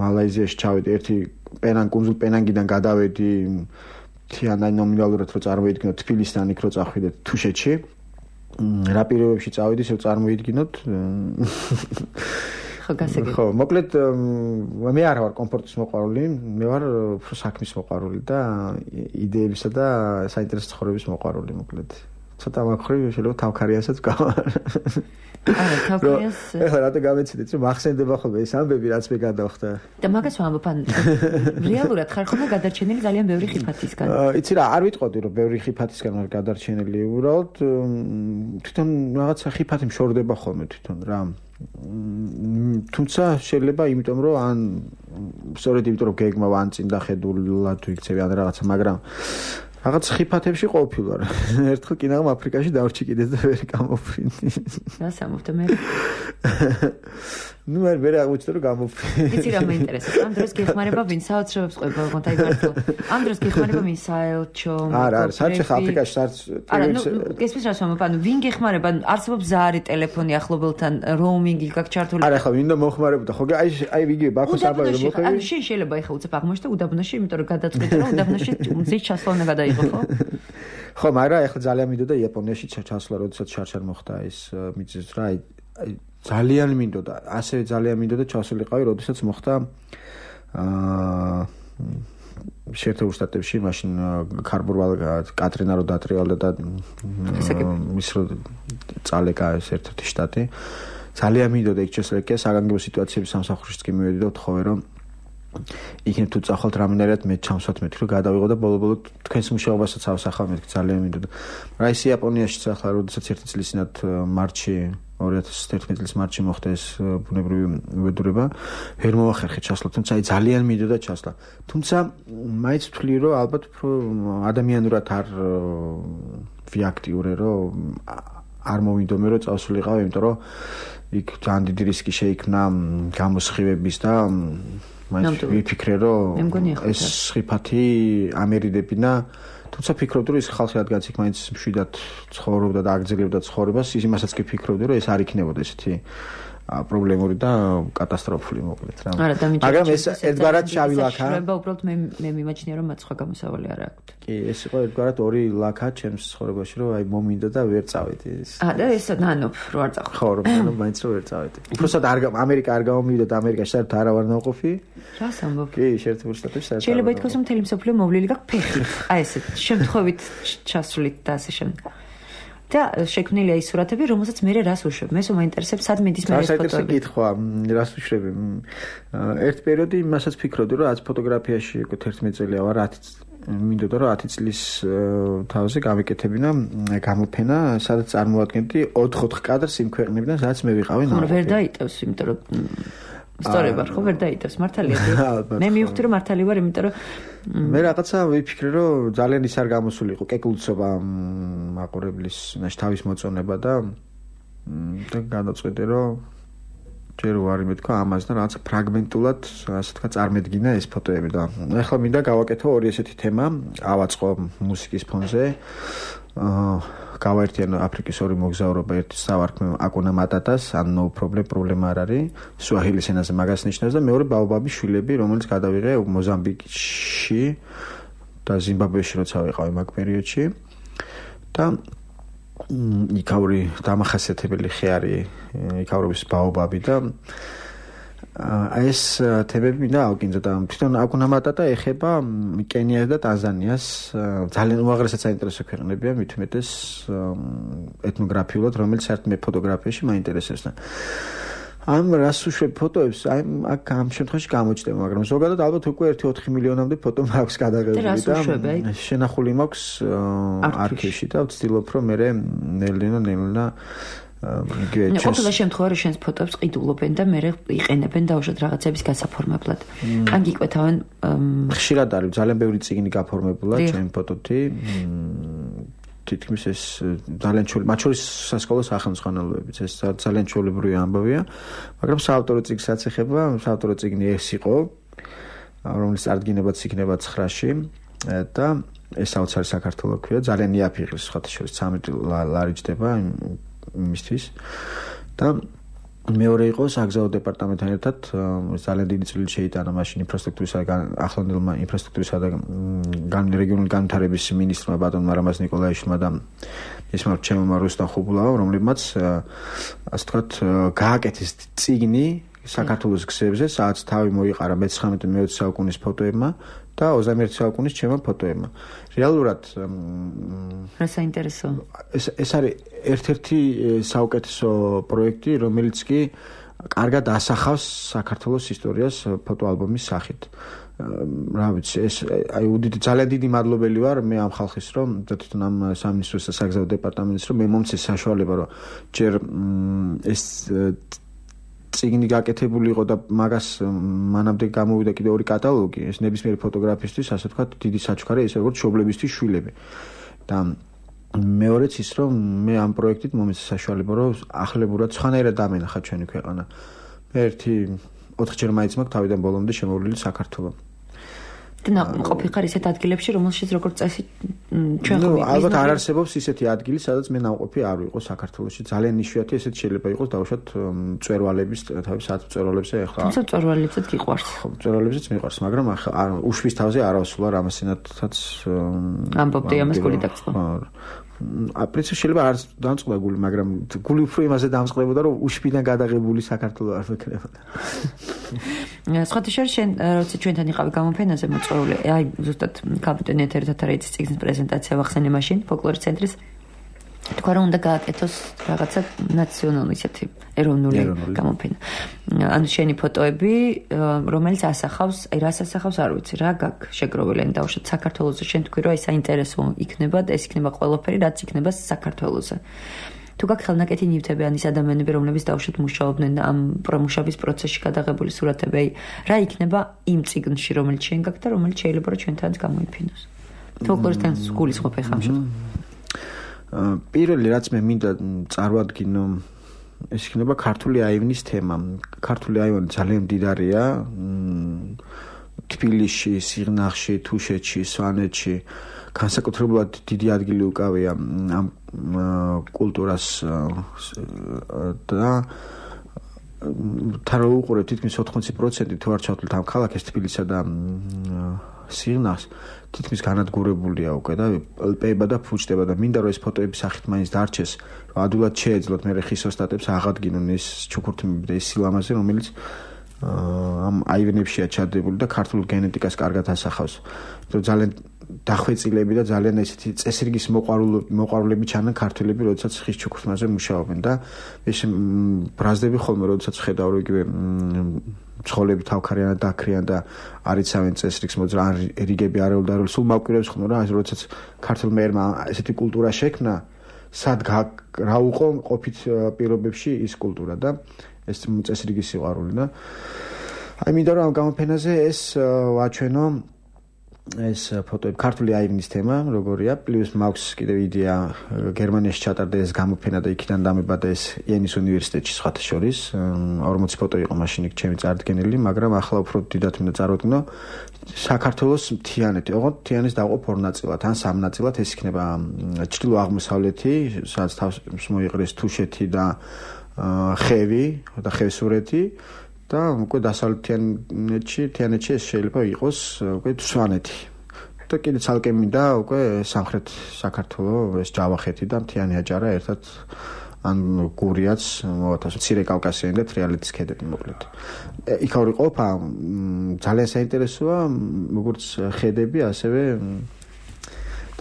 მალაიზიაში ჩავედი ერთი პენანგ კუნძულ პენანგიდან გადავედი თიანაი ნომინალურად რო წარმოიდგინოთ თბილისიდან იქ რო წავიდეთ თუშეთში რა პირობებში წავედი, ისევ წარმოიდგინოთ. ხო, გასაგები. ხო, მოკლედ მე არ ვარ კომფორტის მოყვარული, მე ვარ უფრო საქმის მოყვარული და იდეებისა და საინტერესო ცხოვრების მოყვარული, მოკლედ. ცოტა მაგხრივ შეიძლება თავქარიასაც გავარ. არა, თავქარიას. ეხლა რატო გამეციდეთ, რომ ახსენდება ხოლმე ეს ამბები, რაც მე გადავხდა. და მაგას ვამბობ, ან რეალურად ხარ ხოლმე გადარჩენილი ძალიან ბევრი ხიფათისგან. იცი რა, არ ვიტყოდი, რომ ბევრი ხიფათისგან ვარ გადარჩენილი, უბრალოდ თვითონ რაღაცა ხიფათი მშორდება ხოლმე თვითონ რა. თუმცა შეიძლება იმიტომ რომ ან სწორედ იმიტომ რომ გეგმავ ან წინ დახედულად ვიქცევი ან რაღაცა, მაგრამ რაღაც ხიფათებში ყოფილვარ. ერთხელ კინაღამ აფრიკაში დავრჩი კიდეც და ვერ გამოფრინდი. რა სამოვდა მე? ნუ მე ვერ აღმოჩნდა რომ გამოფრინდი. იცი რა მეინტერესებს? ამ დროს გეხმარება ვინ საოცრებებს ყვება, ოღონდ აი მართლა. ამ დროს გეხმარება ვინ საელჩო? არა, არა, საერთოდ აფრიკაში საერთოდ არა, ნუ გესმის რა სამოვ, ანუ ვინ გეხმარება? არსებობს ზარი ტელეფონი ახლობელთან, როუმინგი გაკ ჩართული. არა, ხა ვინდა მოხმარებოდა, ხო აი აი ვიგებ ბაქოს აბა რომ მოხები. ანუ შენ შეიძლება ეხა უცებ აღმოჩნდა უდაბნოში, იმიტომ რომ გადაწყვეტა რომ უდაბნოში მზის ჩასვლა უნდა გადაიღო. ხო, მაგრამ ახლა ძალიან მინდოდა იაპონიაში ჩასვლა, როდესაც შარშარ მოხდა ეს მიწის რა, აი ძალიან მინდოდა, ასევე ძალიან მინდოდა ჩასულიყავი, როდესაც მოხდა აა შეერთებულ შტატებში, მაშინ კარბურვალ კატრინა რო დატრიალდა და მის რო წალეკა ეს ერთ-ერთი შტატი. ძალიან მინდოდა იქ შესლეკე საგანგებო სიტუაციების სამსახურშიც კი მივედი და ვთხოვე რომ იქნებ თუ წახვალთ რამენერად მე ჩამსვათ მეთქი რომ გადავიღო და ბოლო-ბოლო თქვენს მუშაობასაც ავსახავ მეთქი ძალიან მინდოდა. რა ის იაპონიაშიც ახლა როდესაც ერთი წლის წინათ მარტში ორი ათას თერთმეტი წლის მარტში მოხდა ეს ბუნებრივი უბედურება ვერ მოახერხე ჩასვლა თუმცა აი ძალიან მინდოდა ჩასვლა თუმცა მაინც ვთვლი რომ ალბათ უფრო ადამიანურად არ ვიაქტიურე რომ არ მოვიდომე რომ წავსულიყავ იმიტომ რომ იქ ძალიან დიდი რისკი შეიქმნა გამოსხივების და მაინც ვიფიქრე რომ ეს სხიფათი ამერიდებინა თუმცა ფიქრობდი რომ ის ხალხი რადგანაც იქ მაინც მშვიდად ცხოვრობდა და აგრძელებდა ცხოვრებას იმასაც კი ფიქრობდი რომ ეს არ იქნებოდა ესეთი პრობლემური და კატასტროფული მოკლედ რა. მაგრამ ეს ერთგვარად შავი ლაქა. შეიძლება უბრალოდ მე მე მიმაჩნია რომ მათ სხვა გამოსავალი არ აქვს. კი, ეს იყო ერთგვარად ორი ლაქა ჩემს ცხოვრებაში რომ აი მომინდა და ვერ წავედი ეს. აა და ეს ნანოფ რო არ წახვი. ხო, რომ ნანოფ მაინც რო ვერ წავედი. უბრალოდ არ ამერიკა არ გამომივიდა და ამერიკაში საერთოდ არ ვარ ნაყოფი. რას ამბობ? კი, შეერთებულ შტატებში საერთოდ. შეიძლება ითქვას რომ მთელი მსოფლიო მოვლილი გაქვს ფეხით. აი ესეთ შემთხვევით ჩასვლით და ასე შემდეგ. და შექმნილია ის სურათები, რომელსაც მე რას უშვებ. მე სულ მაინტერესებს სად მიდის მე ეს ფოტოები. საერთოდ კითხვა, რას უშვები. ერთ პერიოდი მასაც ფიქრობდი, რომ რაც ფოტოგრაფიაში თერთმეტი წელია ვარ, ათი მინდოდა რომ ათი წლის თავზე გამიკეთებინა გამოფენა, სადაც წარმოვადგენდი ოთხ-ოთხ კადრს იმ ქვეყნებიდან, სადაც მე ვიყავი ნაყოფი. ხო, ვერ დაიტევს, იმიტომ რომ სწორად ვარ, ხო, ვერ დაიტევს, მართალია. მე მივხვდი რომ მართალი ვარ, იმიტომ რომ მე რაღაცა ვიფიქრე რომ ძალიან ის არ გამოსულიყო კეკლუცობა მაყურებლის თავის მოწონება და და გადაწყვეტე რომ ჯერ ვარ მეთქვა ამას და რაღაცა ფრაგმენტულად ასე თქვა წარმედგინა ეს ფოტოები და ახლა მინდა გავაკეთო ორი ესეთი თემა ავაწყო მუსიკის ფონზე აა გავაერთიანო აფრიკის ორი მოგზაურობა ერთი სავარქმე აკუნა მატატას ან no problem პრობლემა არ არის სუაჰილის ენაზე მაგას ნიშნავს და მეორე ბაობაბის შვილები რომელიც გადავიღე მოზამბიკში და ზიმბაბვეში როცა ვიყავი მაგ პერიოდში და იქაური დამახასიათებელი ხე არის იქაურობის ბაობაბი და აი ეს თემები მინდა ავკინძო და თვითონ აკუნა მატატა ეხება კენიას და ტანზანიას ძალიან უაღრესად საინტერესო ქვეყნებია მით უმეტეს ეთნოგრაფიულად რომელიც საერთოდ მე ფოტოგრაფიაში მაინტერესებს და ამ რას უშვებ ფოტოებს აი აქ ამ შემთხვევაში გამოჩნდება მაგრამ ზოგადად ალბათ უკვე ერთი ოთხი მილიონამდე ფოტო მაქვს გადაღებული და შენახული მაქვს არქივში და ვცდილობ რომ მე ნელინა ნელინა ყოველ შემთხვევაში შენს ფოტოებს ყიდულობენ და მე იყენებენ დაუშვათ რაღაცების გასაფორმებლად. ან გიკვეთავენ ხშირად არის ძალიან ბევრი წიგნი გაფორმებულა ჩემი ფოტოთი. თითქმის ეს ძალიან ჩვეული, მათ შორის სასკოლო სახელმძღვანელოებიც ეს ძალიან ჩვეულებრივი ამბავია, მაგრამ საავტორო წიგნსაც ეხება, საავტორო წიგნი ეს იყო, რომელიც წარდგინებაც იქნება ცხრაში და ეს საოცარი საქართველო ქვია, ძალიან იაფიღის სხვათა შორის ცამეტი ლარი ჯდება იმისთვის და მეორე იყო საგზაო დეპარტამენტთან ერთად ძალიან დიდი წვლილი შეიტანა მაშინ ინფრასტრუქტურისა და ახლანდელმა ინფრასტრუქტურისა და რეგიონული განვითარების მინისტრმა ბატონმა რამაზ ნიკოლაიშვილმა და ისმარ ჩემმა რუსტამ ხუბულავამ რომლებმაც ასე ვთქვათ გააკეთეს წიგნი საქართველოს გზებზე სადაც თავი მოიყარა მეცხრამეტე მეოცე საუკუნის ფოტოებმა და ოცდამეერთე საუკუნის ჩემმა ფოტოებმა. რეალურად რა საინტერესო. ეს ეს არის ერთ-ერთი საუკეთესო პროექტი, რომელიც კი კარგად ასახავს საქართველოს ისტორიას ფოტოალბომის სახით. რა ვიცი, ეს აი უდიდი ძალიან დიდი მადლობელი ვარ მე ამ ხალხის რომ თვითონ ამ სამინისტროს და საგზაო დეპარტამენტის რომ მე მომცეს საშუალება რომ ჯერ ეს წიგნი გაკეთებული იყო და მაგას მანამდე გამოვიდა კიდე ორი კატალოგი ეს ნებისმიერი ფოტოგრაფისტვის ასე ვთქვათ დიდი საჩუქარი ეს როგორც მშობლებისთვის შვილები და მეორეც ის რომ მე ამ პროექტით მომეცა საშუალება რომ ახლებურად სხვანაირად დამენახა ჩვენი ქვეყანა მე ერთი ოთხჯერ მაინც მაქვს თავიდან ბოლომდე შემოვლილი საქართველო და ყოფილი ხარ ისეთ ადგილებში რომელშიც როგორც წესი ჩვენ ხო ალბათ არ არსებობს ისეთი ადგილი სადაც მე ნამყოფი არ ვიყო საქართველოში ძალიან იშვიათი ესეთ შეიძლება იყოს დაუშვათ მწვერვალების თავის საათ მწვერვალებზე ახლა თუმცა მწვერვალებსაც გიყვარს ხო მწვერვალებსაც მიყვარს მაგრამ ახლა უშვის თავზე არ ავსულა რამასინათაც ამბობდი ამას გული დაწყო ა პრინციპში შეიძლება არ დამწყდა გული მაგრამ გული უფრო იმაზე დამწყდებოდა რომ უშვიდან გადაღებული საქართველო არ ვექნებოდა სხვათა შორის შენ როცა ჩვენთან იყავი გამოფენაზე მოწვეული აი ზუსტად კაპიტენ ეთერთან არის წიგნის პრეზენტაცია ვახსენე მაშინ ფოლკლორის ცენტრის თქვა რომ უნდა გააკეთოს რაღაცა ნაციონალური ისეთი ეროვნული გამოფენა. ანუ შენი ფოტოები, რომელიც ასახავს, აი რას ასახავს, არ ვიცი, რა გაქვს შეგროვილი ან დავუშვათ საქართველოზე, შენ თქვი რომ აი საინტერესო იქნება, ეს იქნება ყველაფერი, რაც იქნება საქართველოზე. თუ გაქვს ხელნაკეთი ნივთები ან ის ადამიანები, რომლებიც დავუშვათ მუშაობდნენ ამ პრომუშობის პროცესში გადაღებული სურათები, აი რა იქნება იმ წიგნში, რომელიც შენ გაქვს და რომელიც შეიძლება რომ ჩვენთანაც გამოიფინოს. ფოლკლორისთან გულისხმობ ხა ამ შემთხვევაში. პირველი რაც მე მინდა წარვადგინო ეს იქნება ქართული აივნის თემა. ქართული აივანი ძალიან მდიდარია. თბილისში, სიღნაღში, თუშეთში, სვანეთში განსაკუთრებულად დიდი ადგილი უკავია ამ კულტურას და თან უყურებ თითქმის ოთხმოცი პროცენტი თუ არ ჩავთვლით ამ ქალაქის თბილისსა და სიღნაღს თითქმის განადგურებულია უკვე და პება და ფუჭდება და მინდა რომ ეს ფოტოები სახით მაინც დარჩეს რომ ადვილად შეეძლოთ მე ხის ოსტატებს აღადგინონ ეს ჩუქურთმები და ეს სილამაზე რომელიც ამ აივნებშია ჩადებული და ქართულ გენეტიკას კარგად ასახავს. იმიტომ ძალიან დახვეწილები და ძალიან ესეთი წესრიგის მოყვარულები ჩანან ქართველები, როდესაც ხის ჩუქურთმაზე მუშაობენ და ეს ბრაზდები ხოლმე როდესაც ხედავ რომ იგივე ცხოლები თავქარიან და დაქრიან და არიცავენ წესრიგს მოძრა ან რიგები არეულდარული სულ მავკვირებს ხოლმე რა ეს როდესაც ქართულ მეერმა ესეთი კულტურა შექმნა სად რა უყო ყოფით პირობებში ის კულტურა და ეს წესრიგის სიყვარული და აი მინდა რომ ამ გამოფენაზე ეს ვაჩვენო ეს ფოტოები ქართული აივნის თემა როგორია პლუს მაქვს კიდევ იდეა გერმანიაში ჩატარდა ეს გამოფენა და იქიდან დამებადა ეს იენის უნივერსიტეტში სხვათა შორის ორმოცი ფოტო იყო მაშინ იქ ჩემი წარდგენილი მაგრამ ახლა უფრო დიდად მინდა წარვადგინო საქართველოს მთიანეთი ოღონდ მთიანეთის დაყოფ ორ ნაწილად ან სამ ნაწილად ეს იქნება ჩრდილო-აღმოსავლეთი სადაც თავს მოიყრეს თუშეთი და ხევი და ხევსურეთი და უკვე დასავლეთიანეთში, თიანეთში ეს შეიძლება იყოს უკვე სვანეთი. და კიდე ცალკე მინდა უკვე სამხრეთ საქართველოს ეს ჯავახეთი და მთიანი აჭარა ერთად ან გურიაც მოათავსო მცირე კავკასიონი და თრიალეთის ქედები მოკლედ. იქ ორი ყოფა ძალიან საინტერესოა როგორც ხედები, ასევე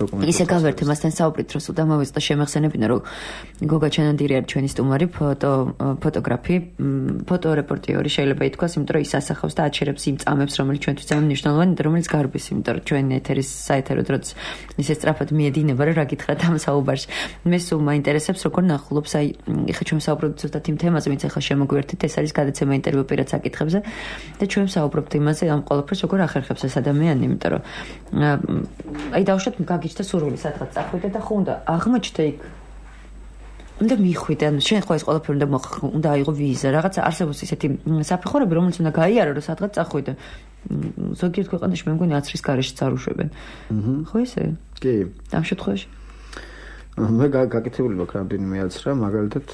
ისე გავერთე მასთან საუბრის დროს უდამოვეს და შემეხსენებინა რომ გოგა ჩანანდირი არის ჩვენი სტუმარი ფოტო ფოტოგრაფი ფოტორეპორტიორი შეიძლება ითქვას იმიტომ რომ ის ასახავს და აჩერებს იმ წამებს რომელიც ჩვენთვის ძალიან მნიშვნელოვანი და რომელიც გარბის იმიტომ რომ ჩვენ ეთერის საეთერო დროც ისე სწრაფად მიედინება რომ რა გითხრათ ამ საუბარში მე სულ მაინტერესებს როგორ ნახულობს აი ეხლა ჩვენ საუბრობთ ზუსტად იმ თემაზე ვინც ეხლა შემოგვერთით ეს არის გადაცემა ინტერვიუ პირად საკითხებზე და ჩვენ საუბრობთ იმაზე ამ ყველაფერს როგორ ახერხებს ეს ადამიანი იმიტომ რომ აი დავუშვათ და სურვილი სადღაც წახვიდე და ხო უნდა აღმოჩნდა იქ უნდა მიხვიდე ანუ შენ ხო ეს ყველაფერი უნდა უნდა აიღო ვიზა რაღაცა არსებობს ისეთი საფეხურები რომელიც უნდა გაიარო რომ სადღაც წახვიდე ზოგიერთ ქვეყანაში მე მგონი აცრის გარეშე წარუშვებენ ხო ესე კი ამ შემთხვევაში მე გაკეთებული მაქვს რამდენიმე აცრა მაგალითად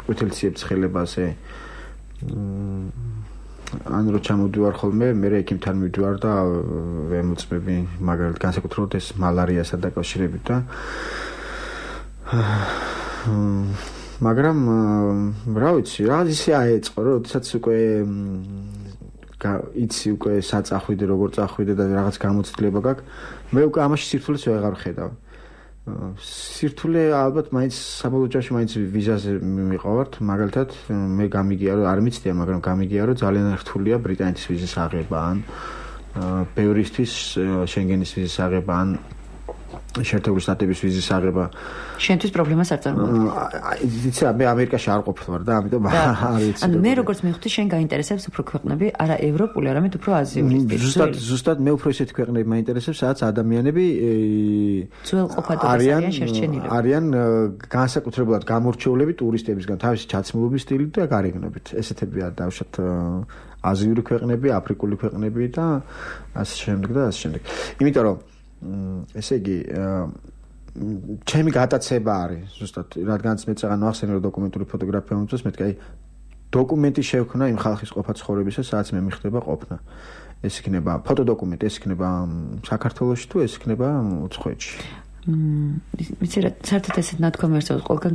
ყვითელციებს ხელებაზე ან რო ჩამოდივარ ხოლმე, მე ექიმთან მივდივარ და ვემოწმები მაგალითად განსაკუთრებით ეს მალარიასთან დაკავშირებით და მაგრამ რა ვიცი, რა ისე აეწყო, რომ როდესაც უკვე იცი უკვე საწახვიდე, როგორ წახვიდე და რაღაც გამოცდილება გაქვს, მე უკვე ამაში სირთულეს ვეღარ ხედავ. სირთულე ალბათ მაინც საბოლოო ჯამში მაინც ვიზაზე მივიყავართ მაგალითად მე გამიგია რომ არ მიცდია მაგრამ გამიგია რომ ძალიან რთულია ბრიტანეთის ვიზის აღება ან ბევრისთვის შენგენის ვიზის აღება ან შეერთებული შტატების ვიზის აღება შენთვის პრობლემას არ წარმოადგენს იცი მე ამერიკაში არ ყოფილვარ და ამიტომ არ ვიცი ანუ მე როგორც მივხვდი შენ გაინტერესებს უფრო ქვეყნები არა ევროპული არამედ უფრო აზიური ზუსტად ზუსტად მე უფრო ისეთი ქვეყნები მაინტერესებს სადაც ადამიანები ძველყოფადობას არიან შერჩენილები არიან განსაკუთრებულად გამორჩეულები ტურისტებისგან თავისი ჩაცმულობის სტილით და გარეგნობით ესეთები არ დავშოთ აზიური ქვეყნები აფრიკული ქვეყნები და ასე შემდეგ და ასე შემდეგ იმიტომ რომ ესე იგი ჩემი გატაცება არის ზუსტად რადგანაც მე წაღან ახსენე რომ დოკუმენტური ფოტოგრაფია მომწონს მეთქი აი დოკუმენტი შევქნა იმ ხალხის ყოფა ცხოვრებისა სადაც მე მიხდება ყოფნა ეს იქნება ფოტოდოკუმენტი ეს იქნება საქართველოში თუ ეს იქნება უცხოეთში ვიცი რა საერთოდ ესეთ ნათქვამი არსებობს ყველგან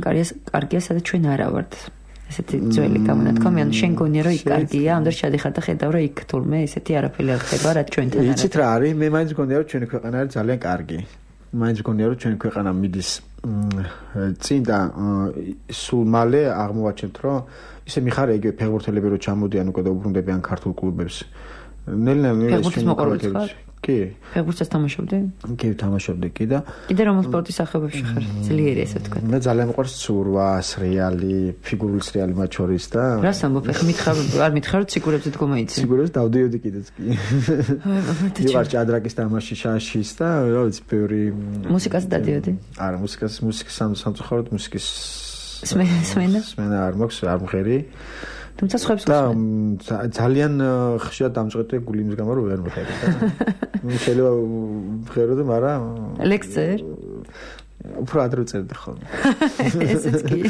კარგია სადაც ჩვენ არა ვართ ესეთი ძველი გამონათქვამი ანუ შენ გონია რომ იქ კარგია ამდენ შედიხარ და ხედავ რომ იქ თურმე ესეთი არაფერი არ ხდება რაც ჩვენთან არის იცით რა არის მე მაინც გონია რომ ჩვენი ქვეყანა არის ძალიან კარგი მაინც გონია რომ ჩვენი ქვეყანა მიდის წინ და სულ მალე აღმოვაჩენთ რომ ისე მიხარია იგივე ფეხბურთელები რო ჩამოდიან უკვე და უბრუნდებიან ქართულ კლუბებს. ნელ-ნელა ფეხბურთის მოყვარული ხარ? კი. ფეხბურთსაც თამაშობდი? კი, თამაშობდი კი და კიდე რომელ სპორტის სახეობებში ხარ? ძლიერი ესე ვთქვა. მე ძალიან მიყვარს ცურვა, სრიალი, ფიგურული სრიალი მათ შორის და რას ამბობ? ხე მითხარ, არ მითხარ რომ ციგურებზე დგომაიცი. ციგურებს დავდიოდი კიდეც კი. ვიყარ ჭადრაკის თამაში შაშის და რა ვიცი, ბევრი მუსიკას დადიოდი? არა, მუსიკას, მუსიკის სამწუხაროდ მუსიკის სმენა? სმენა არ მაქვს, არ მღერი. თუმცა სხვებს და ძალიან ხშირად დამწყვეტე გული იმის გამო რომ ვერ მღერი და შეიძლება ვღერო და მაგრამ ლექსწერ უფრო ადრე წერდი ხოლმე. ესეც კი.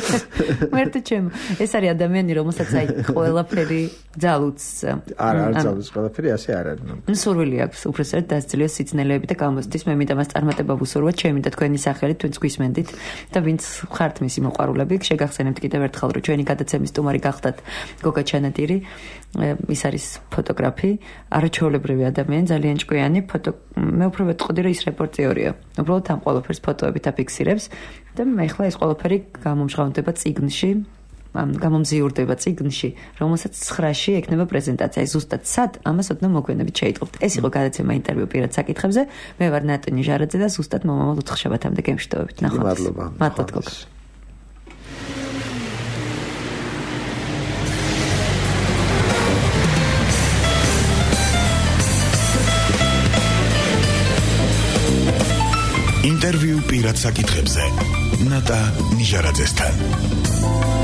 მერტე ჩემ. ეს არის ადამიანი, რომელსაც აი ყველაფერი ძალუც. არა, არ ძალუც ყველაფერი ასე არ არის. ნუ სურვილი აქვს უბრალოდ დასწრიოს სიცნელეები და გამოსდის. მე მინდა მას წარმატება ვუსურვოთ ჩემი და თქვენი სახელით, თქვენს გვისმენდით და ვინც ხართ მისი მოყვარულები, შეგახსენებთ კიდევ ერთხელ, რომ ჩვენი გადაცემის სტუმარი გახდათ გოგა ჩანადირი. ის არის ფოტოგრაფი, არაჩვეულებრივი ადამიანი, ძალიან ჭკვიანი ფოტო. მე უფრო ვეტყოდი, რომ ის რეპორტიორია. უბრალოდ ამ ყველაფერს ფოტოებით აფიქსირებს და მე ახლა ეს ყველაფერი გამომჟღავნდება წიგნში, გამომზიურდება წიგნში, რომელსაც ცხრაში ექნება პრეზენტაცია. ზუსტად სად ამას ოდნავ მოგვიანებით შეიტყობთ. ეს იყო გადაცემა ინტერვიუ პირად საკითხებზე. მე ვარ ნატონი ჟარაძე და ზუსტად მომავალ ოთხშაბათამდე გემშვიდობებით. ნახვამდის. მადლობა. მადლობთ გოგა. ინტერვიუ პირად საკითხებზე ნატა ნიჟარაძესთან.